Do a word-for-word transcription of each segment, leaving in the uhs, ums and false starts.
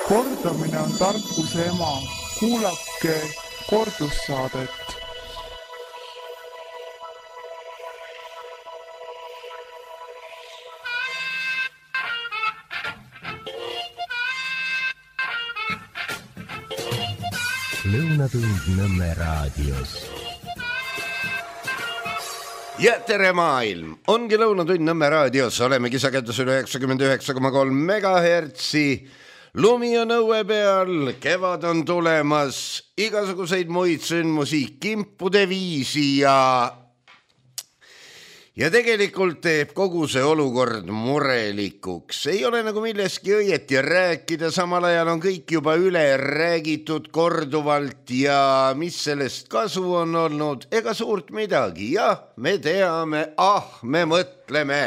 Kordamine on tarkuse ema. Kuulake kordussaadet. Lõunatund Nõmme raadios. Ja tere maailm! Ongi Lõunatund Nõmme raadios. Olemegi sagedusel üheksakümmend üheksa koma kolm megahertsi. Lumi on õue peal, kevad on tulemas, igasuguseid muid sündmusi kimpude viisi ja ja tegelikult teeb kogu see olukord murelikuks. Ei ole nagu milleski õieti rääkida, samal ajal on kõik juba üle räägitud korduvalt ja mis sellest kasu on olnud, ega suurt midagi. Jah, me teame, ah, me mõtleme.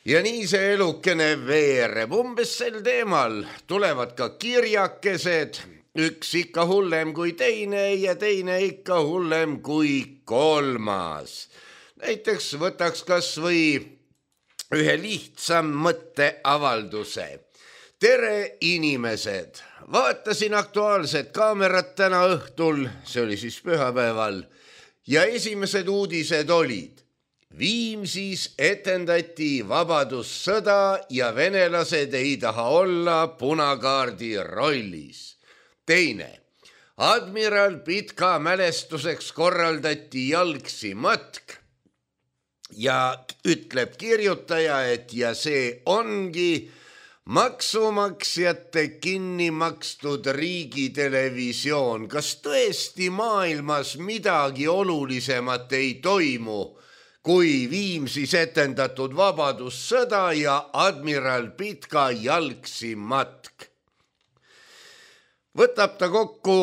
Ja nii see elukene veereb. Umbes sel teemal tulevad ka kirjakesed, üks ikka hullem kui teine ja teine ikka hullem kui kolmas. Näiteks võtaks kas või ühe lihtsam mõtteavalduse. Tere inimesed! Vaatasin Aktuaalset kaamerat täna õhtul, see oli siis pühapäeval, ja esimesed uudised olid. Viimsis etendati vabadussõda ja venelased ei taha olla punakaardi rollis. Teine. Admiral Pitka mälestuseks korraldati jalgsi matk ja ütleb kirjutaja, et ja see ongi maksumaksjate kinni makstud riigitelevisioon. Kas tõesti maailmas midagi olulisemat ei toimu kui Viimsis etendatud vabadussõda ja Admiral Pitka jalgsi matk? Võtab ta kokku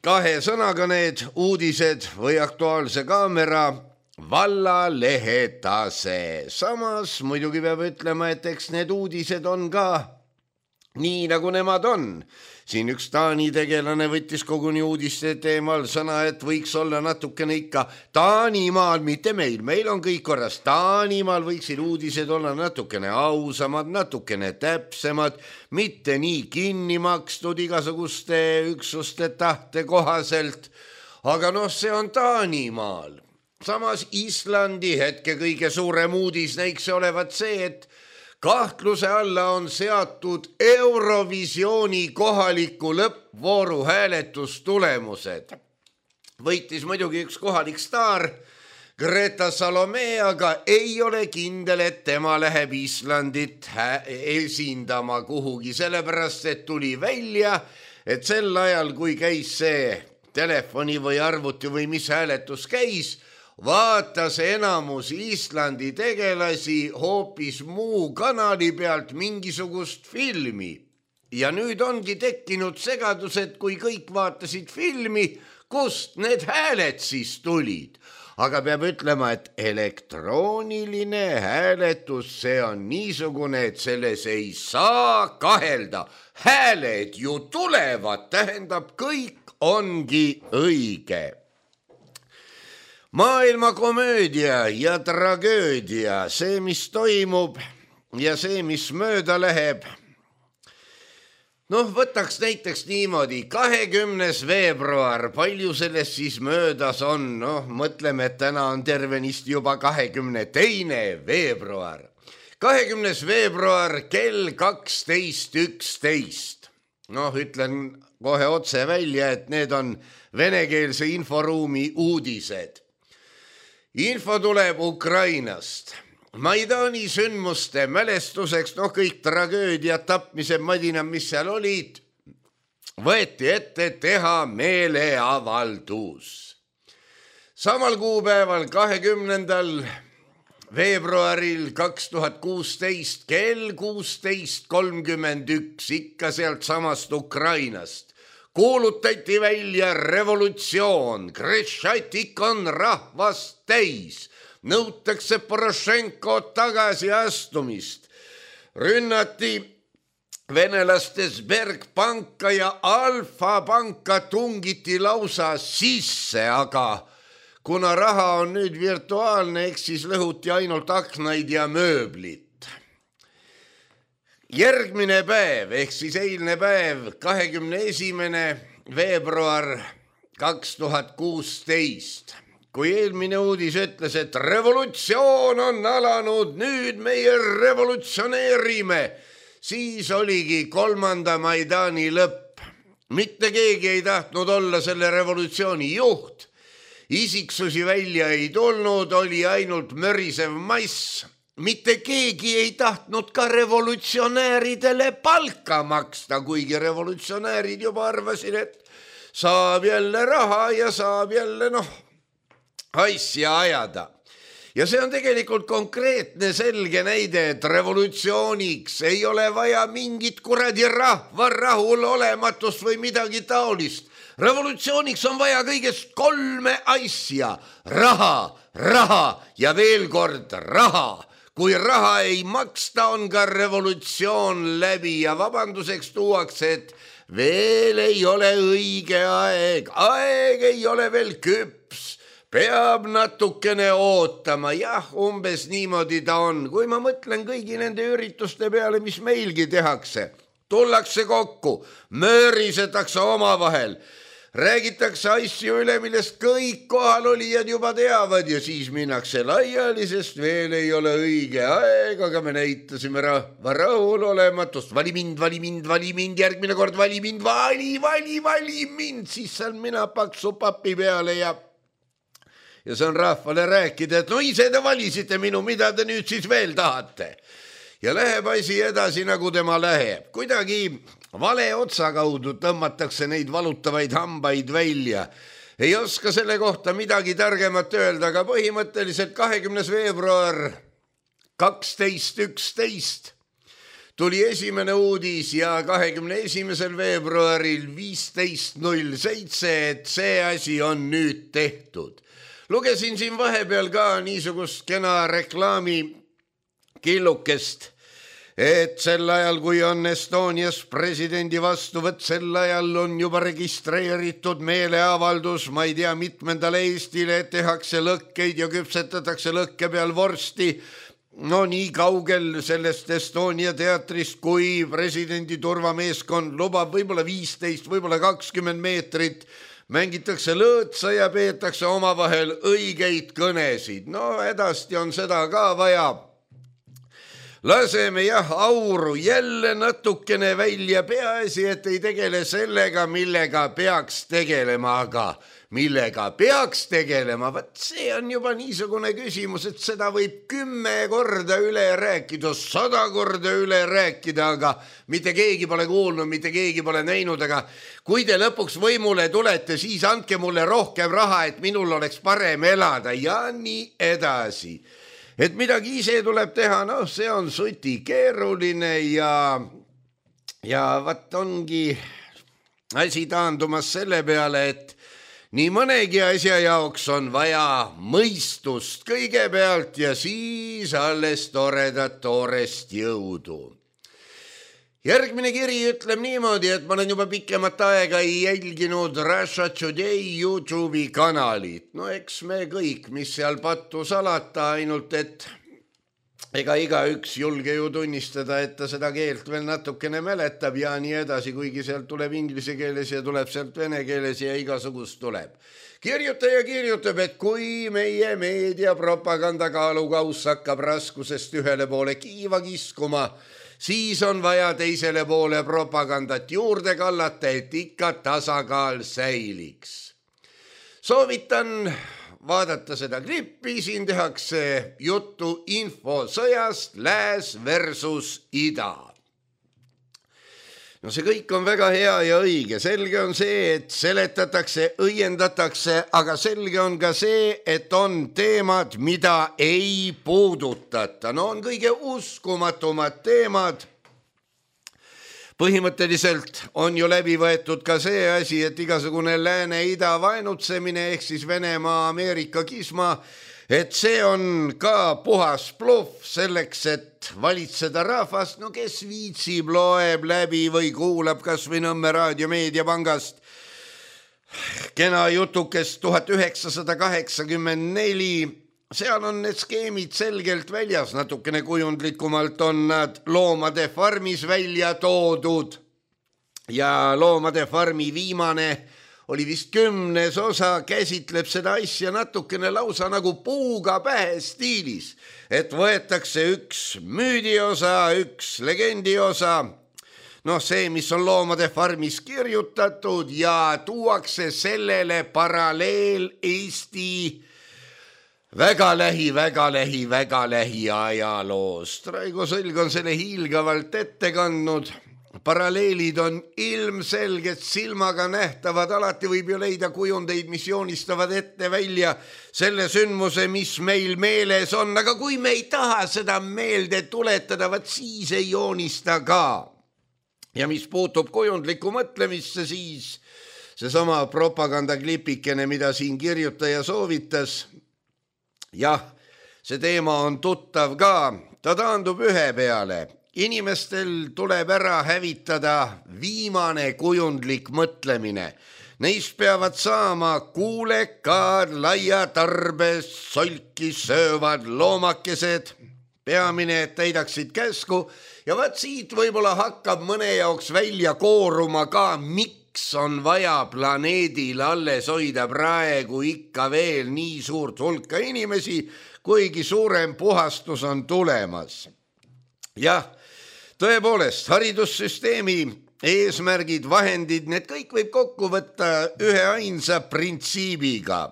kahe sõnaga need uudised või Aktuaalse kaamera vallalehe tase. Samas muidugi peab ütlema, et eks need uudised on ka nii, nagu nemad on. Siin üks Taani tegelane võttis koguni uudiste teemal sõna, et võiks olla natukene ikka Taanimaal, mitte meil. Meil on kõik korras. Taanimaal võiksid uudised olla natukene ausamad, natukene täpsemad, mitte nii kinni makstud igasuguste üksuste tahte kohaselt. Aga noh, see on Taanimaal. Samas Islandi hetke kõige suurem uudis näiks olevat see, et kahtluse alla on seatud Eurovisiooni kohaliku lõppvooru hääletustulemused. Võitis muidugi üks kohalik staar, Greta Salome, aga ei ole kindel, et tema läheb Islandit esindama kuhugi, sellepärast, et tuli välja, et sel ajal, kui käis see telefoni või arvuti või mis hääletus käis, vaatas enamus Islandi tegelasi hoopis muu kanali pealt mingisugust filmi. Ja nüüd ongi tekkinud segadus, et kui kõik vaatasid filmi, kust need hääled siis tulid. Aga peab ütlema, et elektrooniline hääletus, see on niisugune, et selles ei saa kahelda. Hääled ju tulevad, tähendab, kõik ongi õige. Maailma komöödia ja tragöödia, see, mis toimub ja see, mis mööda läheb. Noh, võtaks näiteks niimoodi, kahekümnes veebruar, palju sellest siis möödas on? Noh, mõtleme, et täna on tervenisti juba kahekümne teine veebruar. kahekümnes veebruar kell kaksteist üksteist. Noh, ütlen kohe otse välja, et need on venekeelse inforuumi uudised. Info tuleb Ukrainast. Maidani sündmuste mälestuseks, noh kõik tragöödiad, tapmised, madinad, mis seal olid, võeti ette teha meeleavaldus. Samal kuupäeval kahekümnendal veebruaril kaks tuhat kuusteist kell kuusteist kolmkümmend üks ikka sealt samast Ukrainast kuulutati välja revolutsioon, Krešatik on rahvast täis, nõutakse Porošenko tagasiastumist, rünnati venelaste Sberbanka ja Alfa panka tungiti lausa sisse, aga kuna raha on nüüd virtuaalne, eks siis lõhuti ainult aknaid ja mööblit. järgmine päev ehk siis eilne päev, kahekümne esimene veebruar kaks tuhat kuusteist, kui eelmine uudis ütles, et revolutsioon on alanud, nüüd meie revolutsioneerime, siis oligi kolmanda Maidani lõpp. Mitte keegi ei tahtnud olla selle revolutsiooni juht. Isiksusi välja ei tulnud, oli ainult mörisev mass. Mitte keegi ei tahtnud ka revolutsionääridele palka maksta, kuigi revolutsionäärid juba arvasid, et saab jälle raha ja saab jälle noh, asja ajada. Ja see on tegelikult konkreetne selge näide, et revolutsiooniks ei ole vaja mingit kuradi rahva rahulolematust või midagi taolist. Revolutsiooniks on vaja kõigest kolme asja. Raha, raha ja veel kord raha. Kui raha ei maksta, on ka revolutsioon läbi ja vabanduseks tuuakse, et veel ei ole õige aeg, aeg ei ole veel küps, peab natukene ootama, jah, umbes niimoodi ta on. Kui ma mõtlen kõigi nende ürituste peale, mis meilgi tehakse, tullakse kokku, möörisetakse omavahel, räägitakse asju üle, millest kõik kohalolijad juba teavad ja siis minnakse laiali, sest veel ei ole õige aeg, aga me näitasime rahva rahulolematust. Vali mind, vali mind, vali mind, järgmine kord vali mind, vali, vali, vali mind, siis saan mina paksu papi peale ja ja saan rahvale rääkida, et no ise te valisite minu, mida te nüüd siis veel tahate. Ja läheb asi edasi, nagu tema läheb. Kuidagi vale otsa kaudu tõmmatakse neid valutavaid hambaid välja. Ei oska selle kohta midagi targemat öelda, aga põhimõtteliselt kahekümnes veebruar kaksteist üksteist tuli esimene uudis ja kahekümne esimesel veebruaril viisteist null seitse, et see asi on nüüd tehtud. Lugesin siin vahepeal ka niisugust kena reklaami killukest, et sel ajal, kui on Estonias presidendi vastuvõtt, sel ajal on juba registreeritud meeleavaldus, ma ei tea, mitmendale Eestile, et tehakse lõkkeid ja küpsetatakse lõkke peal vorsti. No nii kaugel sellest Estonia teatrist, kui presidendi turvameeskond lubab võib-olla viisteist, võib-olla kakskümmend meetrit, mängitakse lõõtsa ja peetakse omavahel õigeid kõnesid. No edasti on seda ka vaja. Laseme jah auru jälle natukene välja, peaasi, et ei tegele sellega, millega peaks tegelema, aga millega peaks tegelema, vaat see on juba niisugune küsimus, et seda võib kümme korda üle rääkida, sada korda üle rääkida, aga mitte keegi pole kuulnud, mitte keegi pole näinud, aga kui te lõpuks võimule tulete, siis andke mulle rohkem raha, et minul oleks parem elada ja nii edasi. Et midagi ise tuleb teha, noh, see on suti keeruline ja, ja vat ongi asi taandumas selle peale, et nii mõnegi asja jaoks on vaja mõistust kõigepealt ja siis alles toredat toorest jõudu. Järgmine kiri ütleb niimoodi, et ma olen juba pikemat aega ei jälginud Russia Today YouTube'i kanalit. No eks me kõik, mis seal pattu salata, ainult et ega igaüks julge ju tunnistada, et ta seda keelt veel natukene mäletab ja nii edasi, kuigi sealt tuleb inglise keeles ja tuleb sealt vene keeles ja igasugust tuleb. Kirjutaja kirjutab, et kui meie meediapropaganda kaalukauss hakkab raskusest ühele poole kiiva kiskuma, siis on vaja teisele poole propagandat juurde kallata, et ikka tasakaal säiliks. Soovitan vaadata seda klippi, siin tehakse juttu infosõjast lääs versus ida. No see kõik on väga hea ja õige. Selge on see, et seletatakse, õiendatakse, aga selge on ka see, et on teemad, mida ei puudutata. No on kõige uskumatumad teemad. Põhimõtteliselt on ju läbi võetud ka see asi, et igasugune lääne-ida vaenutsemine ehk siis Venemaa, Ameerika kisma, et see on ka puhas bluff selleks, et valitseda rahvast, no kes viitsib, loeb läbi või kuulab kas või Nõmme Raadio Meediapangast kena jutukest tuhat üheksasada kaheksakümmend neli seal on need skeemid selgelt väljas, natukene kujundlikumalt on nad Loomade farmis välja toodud ja Loomade farmi viimane oli vist kümnes osa, käsitleb seda asja natukene lausa nagu puuga pähe stiilis, et võetakse üks müüdiosa, üks legendiosa, noh see, mis on Loomade farmis kirjutatud ja tuuakse sellele paralleel Eesti väga lähi, väga lähi, väga lähi ajaloost. Raigo Sõlg on selle hiilgavalt ette kandnud. Paralleelid on ilmselged, silmaga nähtavad, alati võib ju leida kujundeid, mis joonistavad ette välja selle sündmuse, mis meil meeles on, aga kui me ei taha seda meelde tuletada, vaat siis ei joonista ka. Ja mis puutub kujundlikku mõtlemisse, siis seesama propagandaklipikene, mida siin kirjutaja soovitas, jah, see teema on tuttav ka, ta taandub ühe peale. Inimestel tuleb ära hävitada viimane kujundlik mõtlemine. Neist peavad saama kuulekad, laia tarbes, solki söövad loomakesed. Peamine, et täidaksid käsku ja vaat siit võib-olla hakkab mõne jaoks välja kooruma ka, miks on vaja planeedil alles hoida praegu ikka veel nii suurt hulka inimesi, kuigi suurem puhastus on tulemas. Jah, tõepoolest, haridussüsteemi eesmärgid, vahendid, need kõik võib kokku võtta ühe ainsa printsiibiga.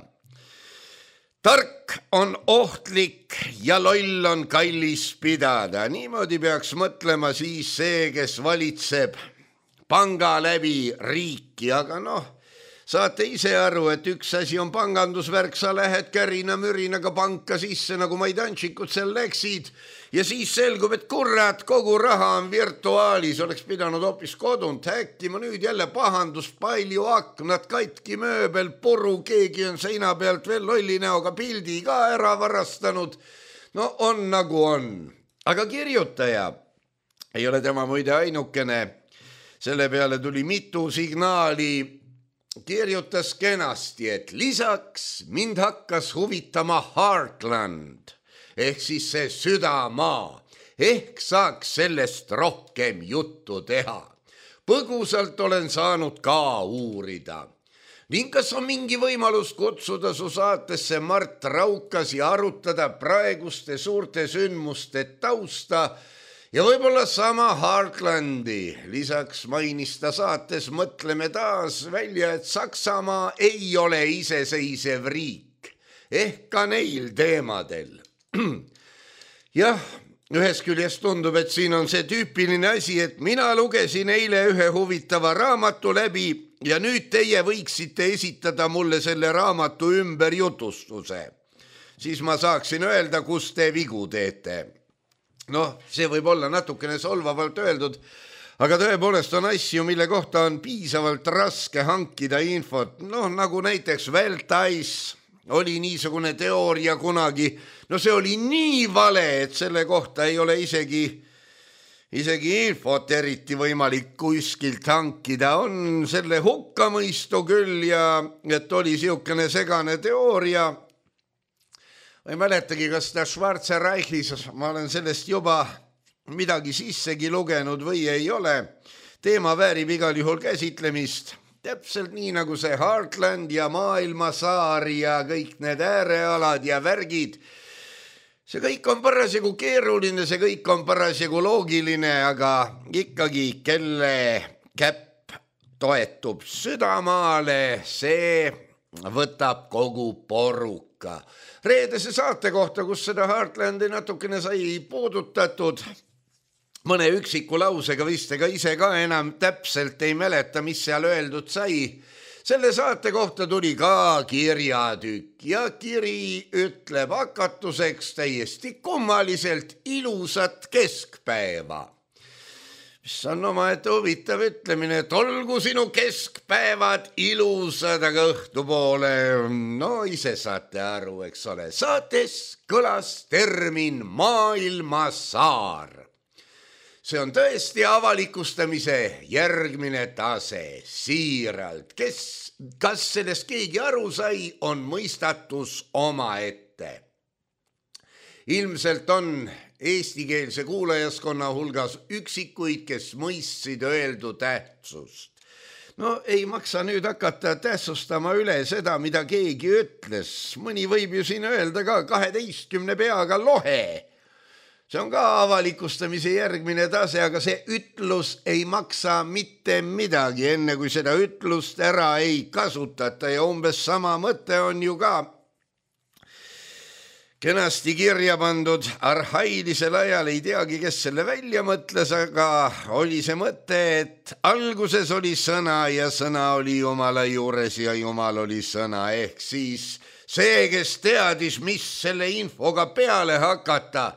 Tark on ohtlik ja loll on kallis pidada. Niimoodi peaks mõtlema siis see, kes valitseb panga läbi riiki, aga noh, saate ise aru, et üks asi on pangandusvärk, sa lähed kärina-mürinaga panka sisse, nagu maidanšikud seal läksid, ja siis selgub, et kurat, kogu raha on virtuaalis, oleks pidanud hoopis kodunt häkkima, nüüd jälle pahandus, palju aknad, katki mööbel, puru, keegi on seina pealt veel lolli näoga pildi ka ära varastanud. No on nagu on, aga kirjutaja ei ole tema muide ainukene, selle peale tuli mitu signaali, kirjutas kenasti, et lisaks mind hakkas huvitama Heartland ehk siis see südamaa, ehk saaks sellest rohkem juttu teha. Põgusalt olen saanud ka uurida. Ning kas on mingi võimalus kutsuda su saatesse Mart Raukas ja arutada praeguste suurte sündmuste tausta ja võib-olla sama Heartlandi. Lisaks mainis ta saates Mõtleme taas välja, et Saksamaa ei ole iseseisev riik, ehk ka neil teemadel. Jah, ühest küljest tundub, et siin on see tüüpiline asi, et mina lugesin eile ühe huvitava raamatu läbi ja nüüd teie võiksite esitada mulle selle raamatu ümber jutustuse. Siis ma saaksin öelda, kus te vigu teete. Noh, see võib olla natukene solvavalt öeldud, aga tõepoolest on asju, mille kohta on piisavalt raske hankida infot. Noh, nagu näiteks Weltais oli niisugune teooria kunagi. No see oli nii vale, et selle kohta ei ole isegi, isegi infot eriti võimalik kuskilt hankida. On selle hukkamõistu küll ja et oli siukene segane teooria. Ma ei mäletagi, kas ta Schwarze Reichis, ma olen sellest juba midagi sissegi lugenud või ei ole. Teema väärib igal juhul käsitlemist. Täpselt nii nagu see Heartland ja maailmasaar ja kõik need äärealad ja värgid. See kõik on parasjagu keeruline, see kõik on parasjagu loogiline, aga ikkagi kelle käpp toetub südamaale, see võtab kogu poruka. Reedese saate kohta, kus seda Heartlandi natukene sai puudutatud, mõne üksiku lausega vist ega ise ka enam täpselt ei mäleta, mis seal öeldud sai. Selle saate kohta tuli ka kirjatükk ja kiri ütleb hakatuseks täiesti kummaliselt ilusat keskpäeva. Mis on omaette huvitav ütlemine, et olgu sinu keskpäevad ilusad, aga õhtupoole, no ise saate aru, eks ole. Saates kõlas termin maailmasaar. See on tõesti avalikustamise järgmine tase, siiralt. Kes, kas sellest keegi aru sai, on mõistatus oma ette. ilmselt on eestikeelse kuulajaskonna hulgas üksikuid, kes mõistsid öeldu tähtsust. No ei maksa nüüd hakata tähtsustama üle seda, mida keegi ütles. Mõni võib ju siin öelda ka kaheteistkümne peaga lohe. See on ka avalikustamise järgmine tase, aga see ütlus ei maksa mitte midagi, enne kui seda ütlust ära ei kasutata ja umbes sama mõte on ju ka kenasti kirja pandud arhailisel ajal, ei teagi, kes selle välja mõtles, aga oli see mõte, et alguses oli sõna ja sõna oli Jumala juures ja Jumal oli sõna, ehk siis see, kes teadis, mis selle infoga peale hakata,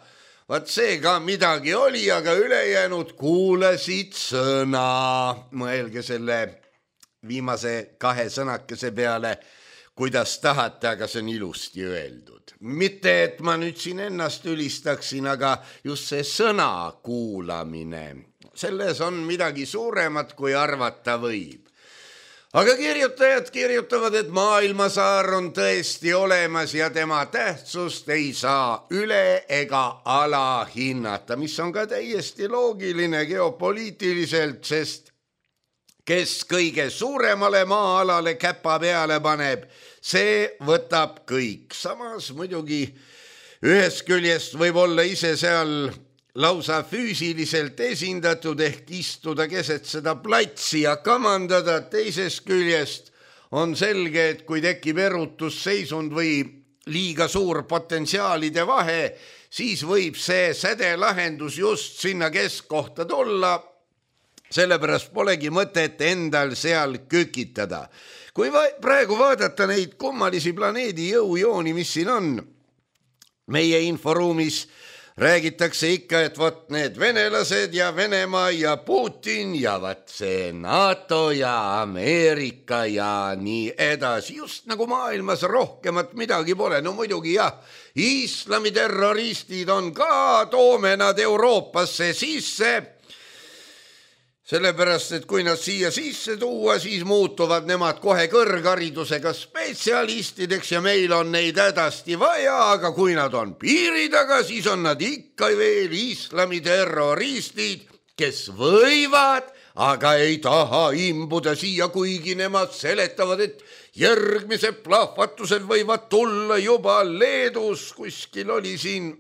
vaat see ka midagi oli, aga ülejäänud kuulasid sõna. Mõelge selle viimase kahe sõnakese peale, kuidas tahate, aga see on ilusti öeldud. Mitte, et ma nüüd siin ennast ülistaksin, aga just see sõna kuulamine, selles on midagi suuremat, kui arvata võib. Aga kirjutajad kirjutavad, et maailmasaar on tõesti olemas ja tema tähtsust ei saa üle ega alahinnata, mis on ka täiesti loogiline geopoliitiliselt, sest kes kõige suuremale maa-alale käpa peale paneb, see võtab kõik. Samas muidugi ühest küljest võib olla ise seal lausa füüsiliselt esindatud ehk istuda keset seda platsi ja kamandada. Teisest küljest on selge, et kui tekib erutusseisund või liiga suur potentsiaalide vahe, siis võib see sädelahendus just sinna keskkohta tulla. Sellepärast polegi mõtet endal seal kükitada. Kui va- praegu vaadata neid kummalisi planeedi jõujooni, mis siin on, meie inforuumis räägitakse ikka, et vot need venelased ja Venemaa ja Putin ja vot see NATO ja Ameerika ja nii edasi. Just nagu maailmas rohkemat midagi pole. No muidugi jah, islami terroristid on ka, toome nad Euroopasse sisse. Sellepärast, et kui nad siia sisse tuua, siis muutuvad nemad kohe kõrgharidusega spetsialistideks ja meil on neid hädasti vaja, aga kui nad on piiri taga, siis on nad ikka veel islami terroristid, kes võivad, aga ei taha imbuda siia, kuigi nemad seletavad, et järgmised plahvatused võivad tulla juba Leedus. Kuskil oli siin,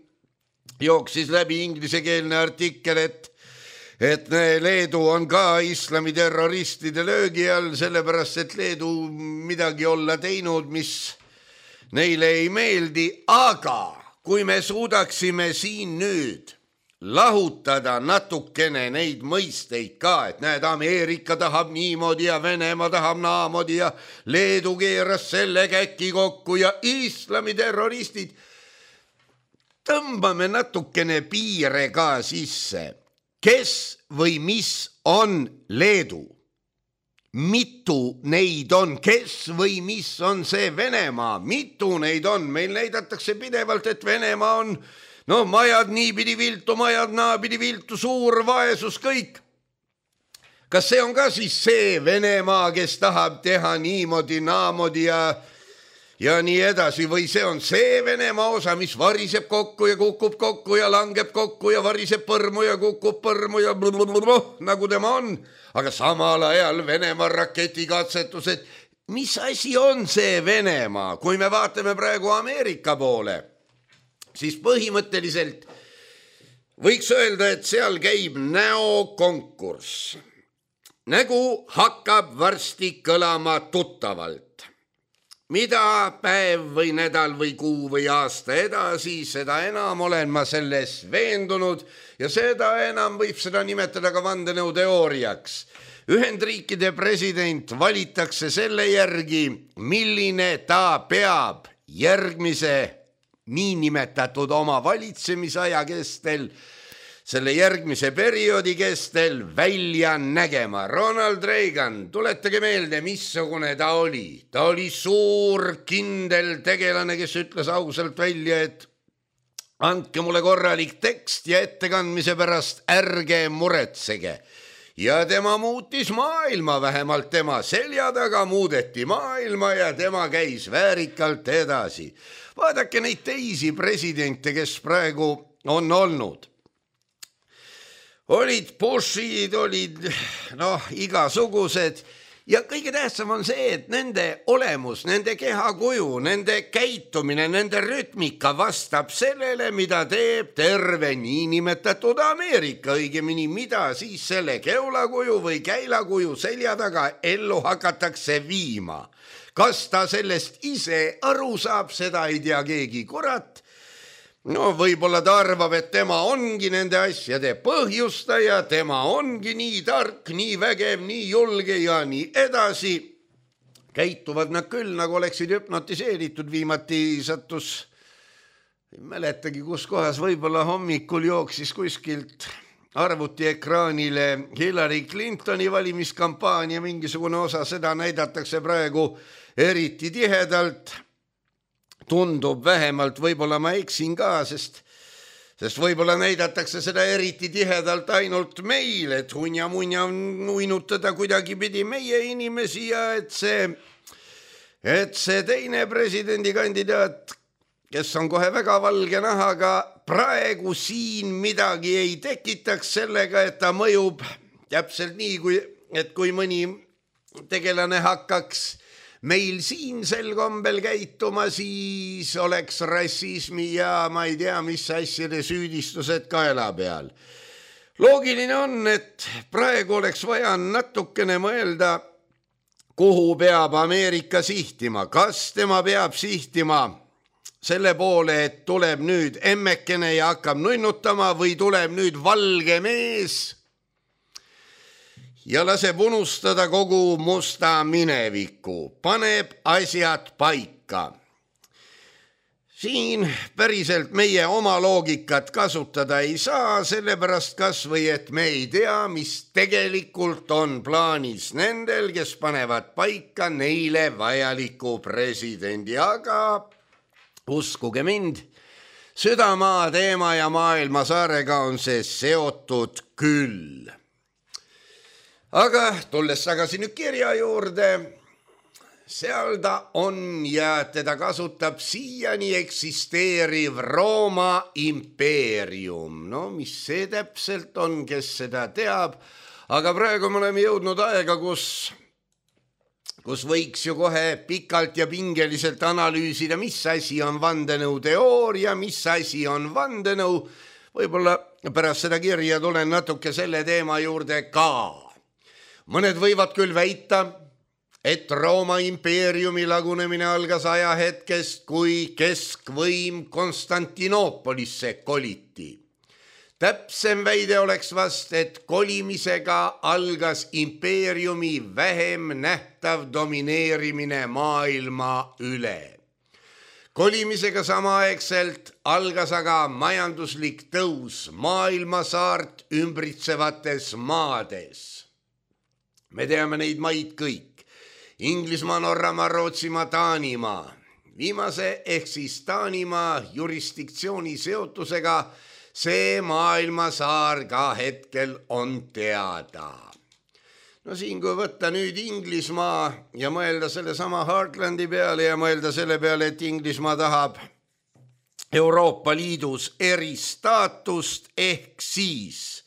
jooksis läbi inglisekeelne artikkel, et et Leedu on ka islami terroristide löögi all, sellepärast, et Leedu midagi olla teinud, mis neile ei meeldi, aga kui me suudaksime siin nüüd lahutada natukene neid mõisteid ka, et näed, Ameerika tahab niimoodi ja Venemaa tahab naamoodi ja Leedu keeras selle käki kokku ja islami terroristid, tõmbame natukene piire ka sisse. Kes või mis on Leedu? Mitu neid on? Kes või mis on see Venemaa? Mitu neid on? Meil näidatakse pidevalt, et Venemaa on, no majad niipidi viltu, majad naapidi viltu, suur vaesus, kõik. Kas see on ka siis see Venemaa, kes tahab teha niimoodi, naamoodi ja ja nii edasi, või see on see Venemaa osa, mis variseb kokku ja kukub kokku ja langeb kokku ja variseb põrmu ja kukub põrmu ja blablabla, nagu tema on. Aga samal ajal Venemaa raketikatsetused, mis asi on see Venemaa? Kui me vaatame praegu Ameerika poole, siis põhimõtteliselt võiks öelda, et seal käib näokonkurss. Nägu hakkab varsti kõlama tuttavalt. Mida päev või nädal või kuu või aasta edasi, seda enam olen ma selles veendunud ja seda enam võib seda nimetada ka vandenõuteooriaks. Ühendriikide president valitakse selle järgi, milline ta peab järgmise niinimetatud oma valitsemisaja kestel, selle järgmise perioodi kestel välja nägema. Ronald Reagan, tuletage meelde, missugune ta oli. Ta oli suur kindel tegelane, kes ütles ausalt välja, et andke mulle korralik tekst ja ettekandmise pärast ärge muretsege. ja tema muutis maailma, vähemalt tema selja taga muudeti maailma ja tema käis väärikalt edasi. Vaadake neid teisi presidente, kes praegu on olnud. Olid Bushid, olid noh, igasugused ja kõige tähtsam on see, et nende olemus, nende kehakuju, nende käitumine, nende rütmika vastab sellele, mida teeb terve niinimetatud Ameerika, õigemini mida siis selle keulakuju või käilakuju selja taga ellu hakatakse viima. Kas ta sellest ise aru saab, seda ei tea keegi kurat. No võib-olla ta arvab, et tema ongi nende asjade põhjustaja, tema ongi nii tark, nii vägev, nii julge ja nii edasi. Käituvad nad küll, nagu oleksid hüpnotiseeritud, viimati sattus, ei mäletagi kus kohas, võib-olla hommikul jooksis kuskilt arvuti ekraanile Hillary Clintoni valimiskampaania, mingisugune osa, seda näidatakse praegu eriti tihedalt. Tundub vähemalt, võib-olla ma eksin ka, sest, sest võib-olla näidatakse seda eriti tihedalt ainult meil, et hunja-munja uinutada kuidagi pidi meie inimesi ja et see, et see teine presidendikandidaat, kes on kohe väga valge nahaga, praegu siin midagi ei tekitaks sellega, et ta mõjub täpselt nii, kui, et kui mõni tegelane hakkaks meil siin sel kombel käituma, siis oleks rassismi ja ma ei tea, mis asjade süüdistused kaela peal. Loogiline on, et praegu oleks vaja natukene mõelda, kuhu peab Ameerika sihtima. Kas tema peab sihtima selle poole, et tuleb nüüd emmekene ja hakkab nunnutama või tuleb nüüd valge mees ja laseb unustada kogu musta mineviku, paneb asjad paika. Siin päriselt meie oma loogikat kasutada ei saa, sellepärast kas või, et me ei tea, mis tegelikult on plaanis nendel, kes panevad paika neile vajaliku presidendi, aga uskuge mind, südamaa teema ja maailmasaarega on see seotud küll. Aga tulles tagasi nüüd kirja juurde, seal ta on ja teda kasutab siiani eksisteeriv Rooma impeerium. No mis see täpselt on, kes seda teab, aga praegu me oleme jõudnud aega, kus, kus võiks ju kohe pikalt ja pingeliselt analüüsida, mis asi on vandenõuteooria, mis asi on vandenõu. Võib-olla pärast seda kirja tulen natuke selle teema juurde ka. Mõned võivad küll väita, et Rooma impeeriumi lagunemine algas ajahetkest, kui keskvõim Konstantinoopolisse koliti. Täpsem väide oleks vast, et kolimisega algas impeeriumi vähem nähtav domineerimine maailma üle. Kolimisega samaaegselt algas aga majanduslik tõus maailmasaart ümbritsevates maades. Me teame neid maid kõik. Inglismaa, Norramaa, Rootsimaa, Taanimaa. Viimase ehk siis Taanimaa jurisdiktsiooni seotusega see maailmasaar ka hetkel on teada. No siin, kui võtta nüüd Inglismaa ja mõelda selle sama Heartlandi peale ja mõelda selle peale, et Inglismaa tahab Euroopa Liidus eristaatust ehk siis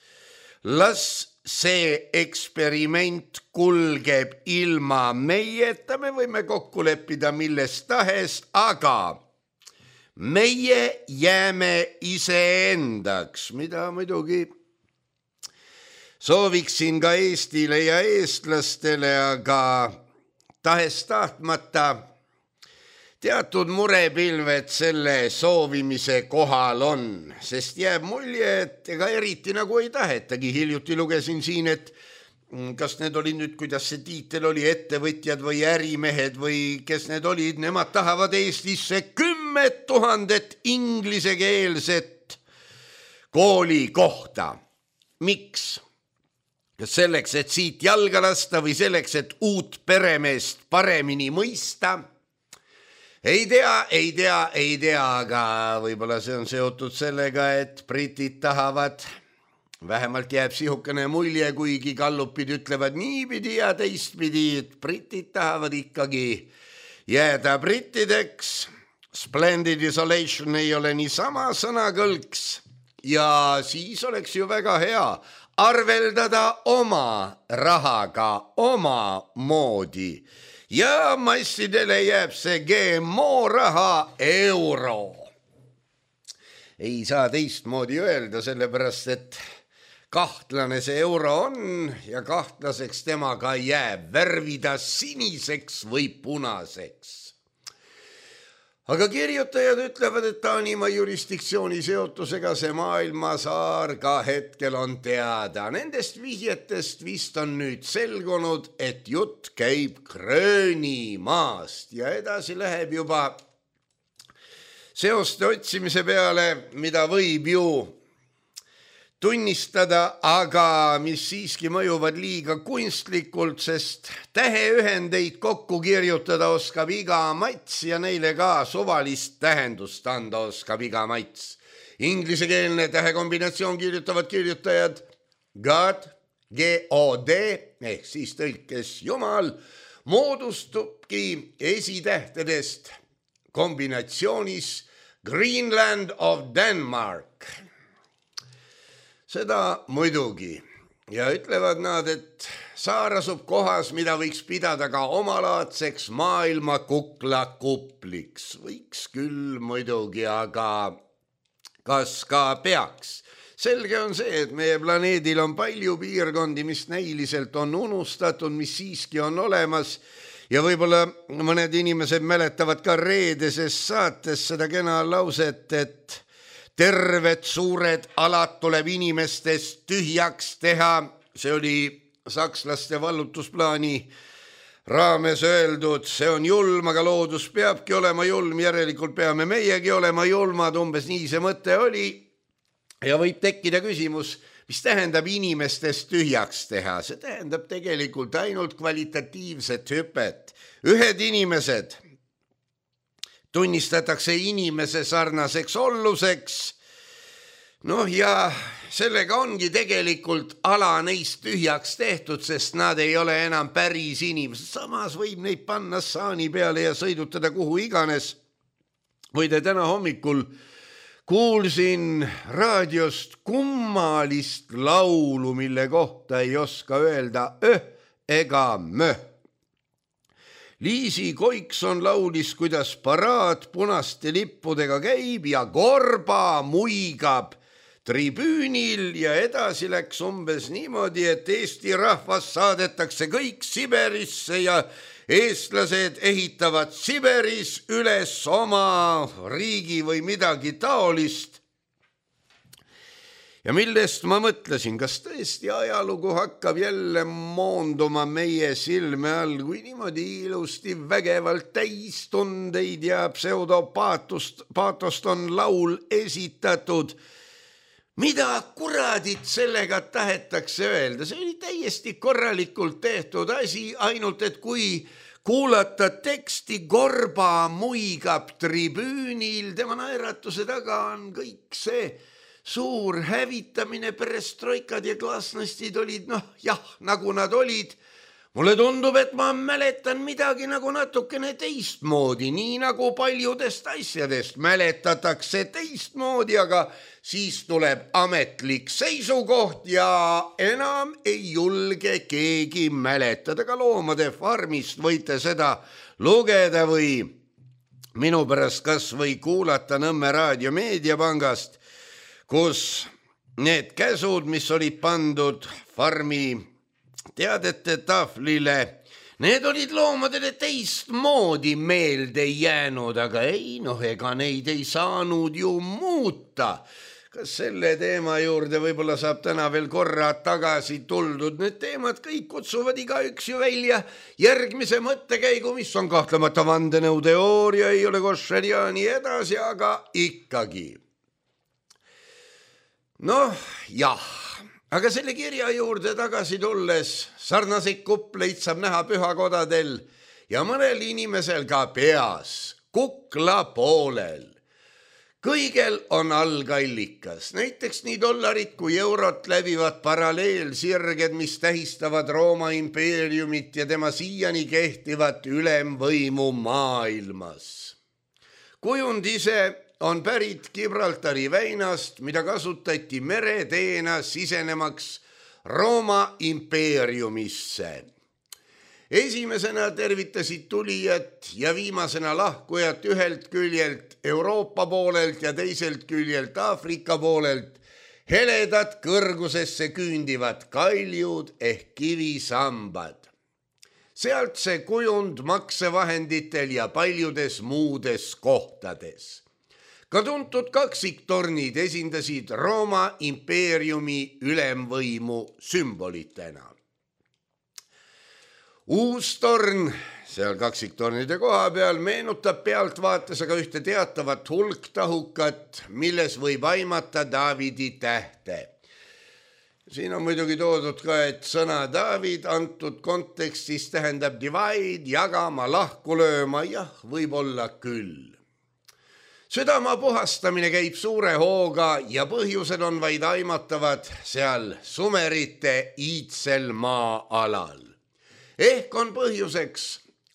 las see eksperiment kulgeb ilma meieta, me võime kokku leppida millest tahes, aga meie jääme iseendaks, mida muidugi sooviksin ka Eestile ja eestlastele, aga tahes tahtmata teatud murepilved selle soovimise kohal on, sest jääb mulje, et ega eriti nagu ei tahetagi. Hiljuti lugesin siin, et kas need olid nüüd, kuidas see tiitel oli, ettevõtjad või ärimehed või kes need olid, nemad tahavad Eestisse kümme tuhandet inglisekeelset kooli kohta. Miks? Kas selleks, et siit jalga lasta või selleks, et uut peremeest paremini mõista? Ei tea, ei tea, ei tea, aga võib-olla see on seotud sellega, et britid tahavad vähemalt jääb sihukene mulje, kuigi gallupid ütlevad niipidi ja teistpidi, et britid tahavad ikkagi jääda brittideks. Splendid isolation ei ole niisama sõnakõlks ja siis oleks ju väga hea arveldada oma rahaga oma moodi ja massidele jääb see G M O raha euro. Ei saa teistmoodi öelda, sellepärast et kahtlane see euro on ja kahtlaseks temaga jääb värvida siniseks või punaseks. Aga kirjutajad ütlevad, et Taanimaa jurisdiktsiooni seotusega see maailmasaar ka hetkel on teada. Nendest vihjetest vist on nüüd selgunud, et jutt käib Gröönimaast ja edasi läheb juba seoste otsimise peale, mida võib ju tunnistada, aga mis siiski mõjuvad liiga kunstlikult, sest täheühendeid kokku kirjutada oskab iga mats ja neile ka suvalist tähendust anda oskab iga mats. Inglisekeelne tähekombinatsioon kirjutavad kirjutajad God, G O D ehk siis tõlkes Jumal, moodustubki esitähtedest kombinatsioonis Greenland of Denmark. Seda muidugi ja ütlevad nad, et saar asub kohas, mida võiks pidada ka omalaadseks maailma kuklakupliks. Võiks küll muidugi, aga kas ka peaks? Selge on see, et meie planeedil on palju piirkondi, mis näiliselt on unustatud, mis siiski on olemas ja võib-olla mõned inimesed mäletavad ka reedeses saates seda kena lauset, et terved suured alad tuleb inimestest tühjaks teha. See oli sakslaste vallutusplaani raames öeldud. See on julm, aga loodus peabki olema julm, järelikult peame meiegi olema julmad. Umbes nii see mõte oli. Ja võib tekkida küsimus, mis tähendab inimestest tühjaks teha? See tähendab tegelikult ainult kvalitatiivset hüpet. Ühed inimesed tunnistatakse inimese sarnaseks olluseks. Noh ja sellega ongi tegelikult ala neist tühjaks tehtud, sest nad ei ole enam päris inimesed. Samas võib neid panna saani peale ja sõidutada kuhu iganes. Võide täna hommikul kuulsin raadiost kummalist laulu, mille kohta ei oska öelda öh ega möh. Liisi Koikson laulis, kuidas paraad punaste lippudega käib ja korba muigab tribüünil ja edasi läks umbes niimoodi, et Eesti rahvas saadetakse kõik Siberisse ja eestlased ehitavad Siberis üles oma riigi või midagi taolist. Ja millest ma mõtlesin, kas tõesti ajalugu hakkab jälle moonduma meie silme all, kui niimoodi ilusti vägevalt täistundeid ja pseudopaatost paatost on laul esitatud. Mida kuradit sellega tahetakse öelda? See oli täiesti korralikult tehtud asi, ainult et kui kuulata teksti korba muigab tribüünil, tema naeratuse taga on kõik see suur hävitamine, perestroikad ja glasnostid olid, noh jah, nagu nad olid. Mulle tundub, et ma mäletan midagi nagu natukene teistmoodi, nii nagu paljudest asjadest mäletatakse teistmoodi, aga siis tuleb ametlik seisukoht ja enam ei julge keegi mäletada. Ka Loomade farmist võite seda lugeda või minu pärast kas või kuulata Nõmme raadio meediapangast, kus need käsud, mis olid pandud farmi teadete tahvlile, need olid loomadele teistmoodi meelde jäänud, aga ei, noh, ega neid ei saanud ju muuta. Kas selle teema juurde võib-olla saab täna veel korra tagasi tuldud? Need teemad kõik kutsuvad igaüks ju välja järgmise mõttekäigu, mis on kahtlemata vandenõuteooria, ei ole koššer ja nii edasi, aga ikkagi. Noh, jah, aga selle kirja juurde tagasi tulles sarnaseid kupleid saab näha pühakodadel ja mõnel inimesel ka peas, kukla poolel. kõigel on algallikas, näiteks nii dollarit kui eurot läbivad paralleelsirged, mis tähistavad Rooma impeeriumit ja tema siiani kehtivat ülemvõimu maailmas. Kujund ise on pärit Gibraltari väinast, mida kasutati mereteena sisenemaks Rooma impeeriumisse. Esimesena tervitasid tulijat ja viimasena lahkujat ühelt küljelt Euroopa poolelt ja teiselt küljelt Aafrika poolelt heledad kõrgusesse küündivad kaljud ehk kivisambad. Sealt see kujund maksevahenditel ja paljudes muudes kohtades. Ka tuntud kaksiktornid esindasid Rooma impeeriumi ülemvõimu sümbolitena. Uus torn seal kaksiktornide koha peal meenutab pealtvaates aga ühte teatavat hulktahukat, milles võib aimata Daavidi tähte. Siin on muidugi toodud ka, et sõna Daavid antud kontekstis tähendab divide, jagama, lahku lööma, jah, võib olla küll. Südama puhastamine käib suure hooga ja põhjused on vaid aimatavad seal sumerite iidsel maa-alal. Ehk on põhjuseks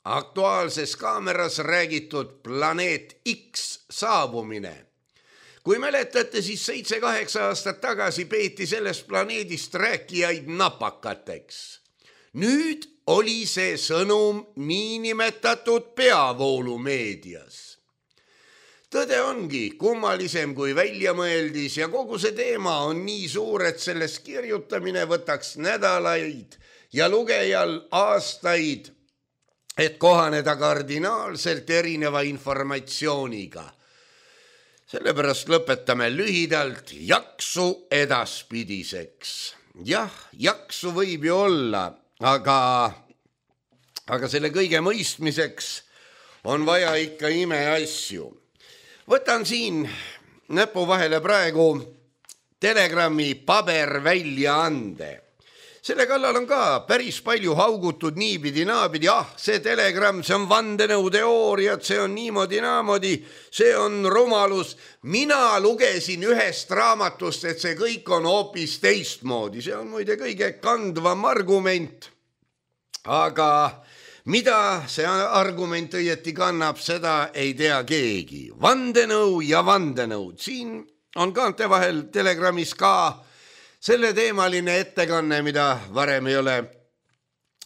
aktuaalses kaameras räägitud planeet X saabumine. Kui mäletate, siis seitse-kaheksa aastat tagasi peeti sellest planeedist rääkijaid napakateks. Nüüd oli see sõnum niinimetatud peavoolumeedias. Tõde ongi kummalisem kui väljamõeldis ja kogu see teema on nii suur, et sellest kirjutamine võtaks nädalaid ja lugejal aastaid, et kohaneda kardinaalselt erineva informatsiooniga. Sellepärast lõpetame lühidalt jaksu edaspidiseks. Jah, jaksu võib ju olla, aga, aga selle kõige mõistmiseks on vaja ikka imeasju. Võtan siin näpu vahele praegu Telegrami paberväljaande. Selle kallal on ka päris palju haugutud niipidi naapidi, ah, see Telegram, see on vandenõuteooriad, see on niimoodi naamodi, see on rumalus. Mina lugesin ühest raamatust, et see kõik on hoopis teistmoodi, see on muide kõige kandvam argument. Aga mida see argument õieti kannab, seda ei tea keegi. Vandenõu ja vandenõud, siin on kaante vahel Telegramis ka selle teemaline ettekanne, mida varem ei ole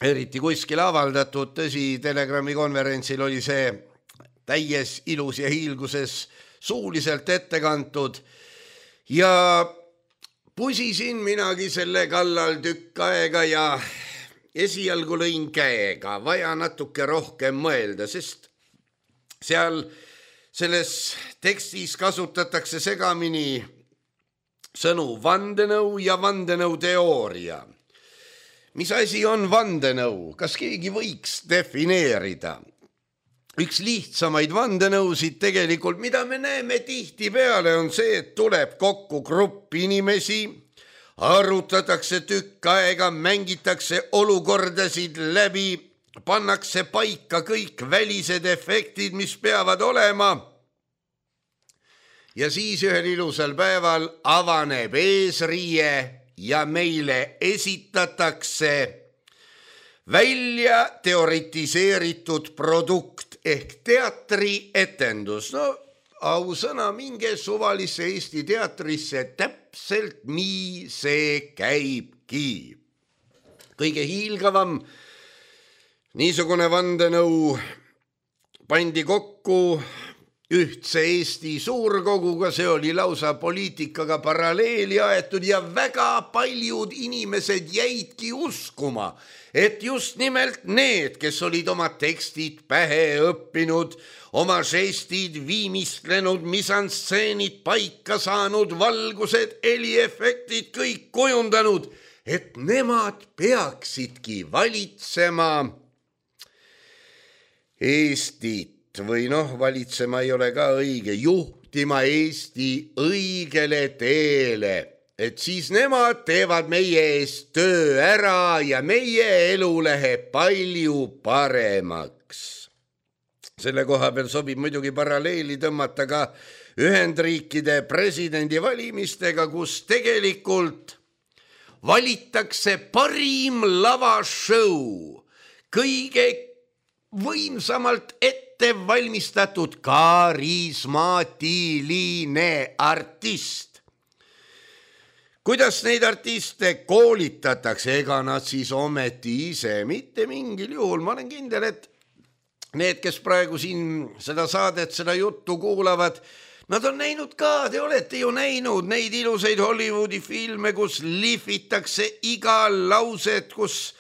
eriti kuskil avaldatud. Tõsi, Telegrami konverentsil oli see täies ilus ja hiilguses suuliselt ettekantud ja pusisin minagi selle kallal tükk aega ja esialgu lõin käega, vaja natuke rohkem mõelda, sest seal selles tekstis kasutatakse segamini sõnu vandenõu ja vandenõuteooria. Mis asi on vandenõu? Kas keegi võiks defineerida? Üks lihtsamaid vandenõusid tegelikult, mida me näeme tihti peale, on see, et tuleb kokku grupp inimesi, arutatakse tükk aega, mängitakse olukordasid läbi, pannakse paika kõik välised efektid, mis peavad olema. Ja siis ühel ilusal päeval avaneb eesriie ja meile esitatakse välja teoritiseeritud produkt ehk teatrietendus. No ausõna, minge suvalisse Eesti teatrisse, täpselt nii see käibki. Kõige hiilgavam niisugune vandenõu pandi kokku ühtse Eesti suurkoguga, see oli lausa poliitikaga paralleeli aetud ja väga paljud inimesed jäidki uskuma, et just nimelt need, kes olid oma tekstid pähe õppinud, oma žestid viimistlenud, misanstseenid paika saanud, valgused, heliefektid kõik kujundanud, et nemad peaksidki valitsema Eestit. Või noh, valitsema ei ole ka õige, juhtima Eesti õigele teele, et siis nemad teevad meie eest töö ära ja meie elu läheb palju paremaks. Selle koha peal sobib muidugi paralleeli tõmmata ka Ühendriikide presidendivalimistega, kus tegelikult valitakse parim lavashow, kõige võimsamalt ette valmistatud karismaatiline artist. Kuidas neid artiste koolitatakse, ega nad siis ometi ise mitte mingil juhul. Ma olen kindel, et need, kes praegu siin seda saadet, seda juttu kuulavad, nad on näinud ka, te olete ju näinud neid ilusaid Hollywoodi filme, kus lihvitakse iga lauset, kus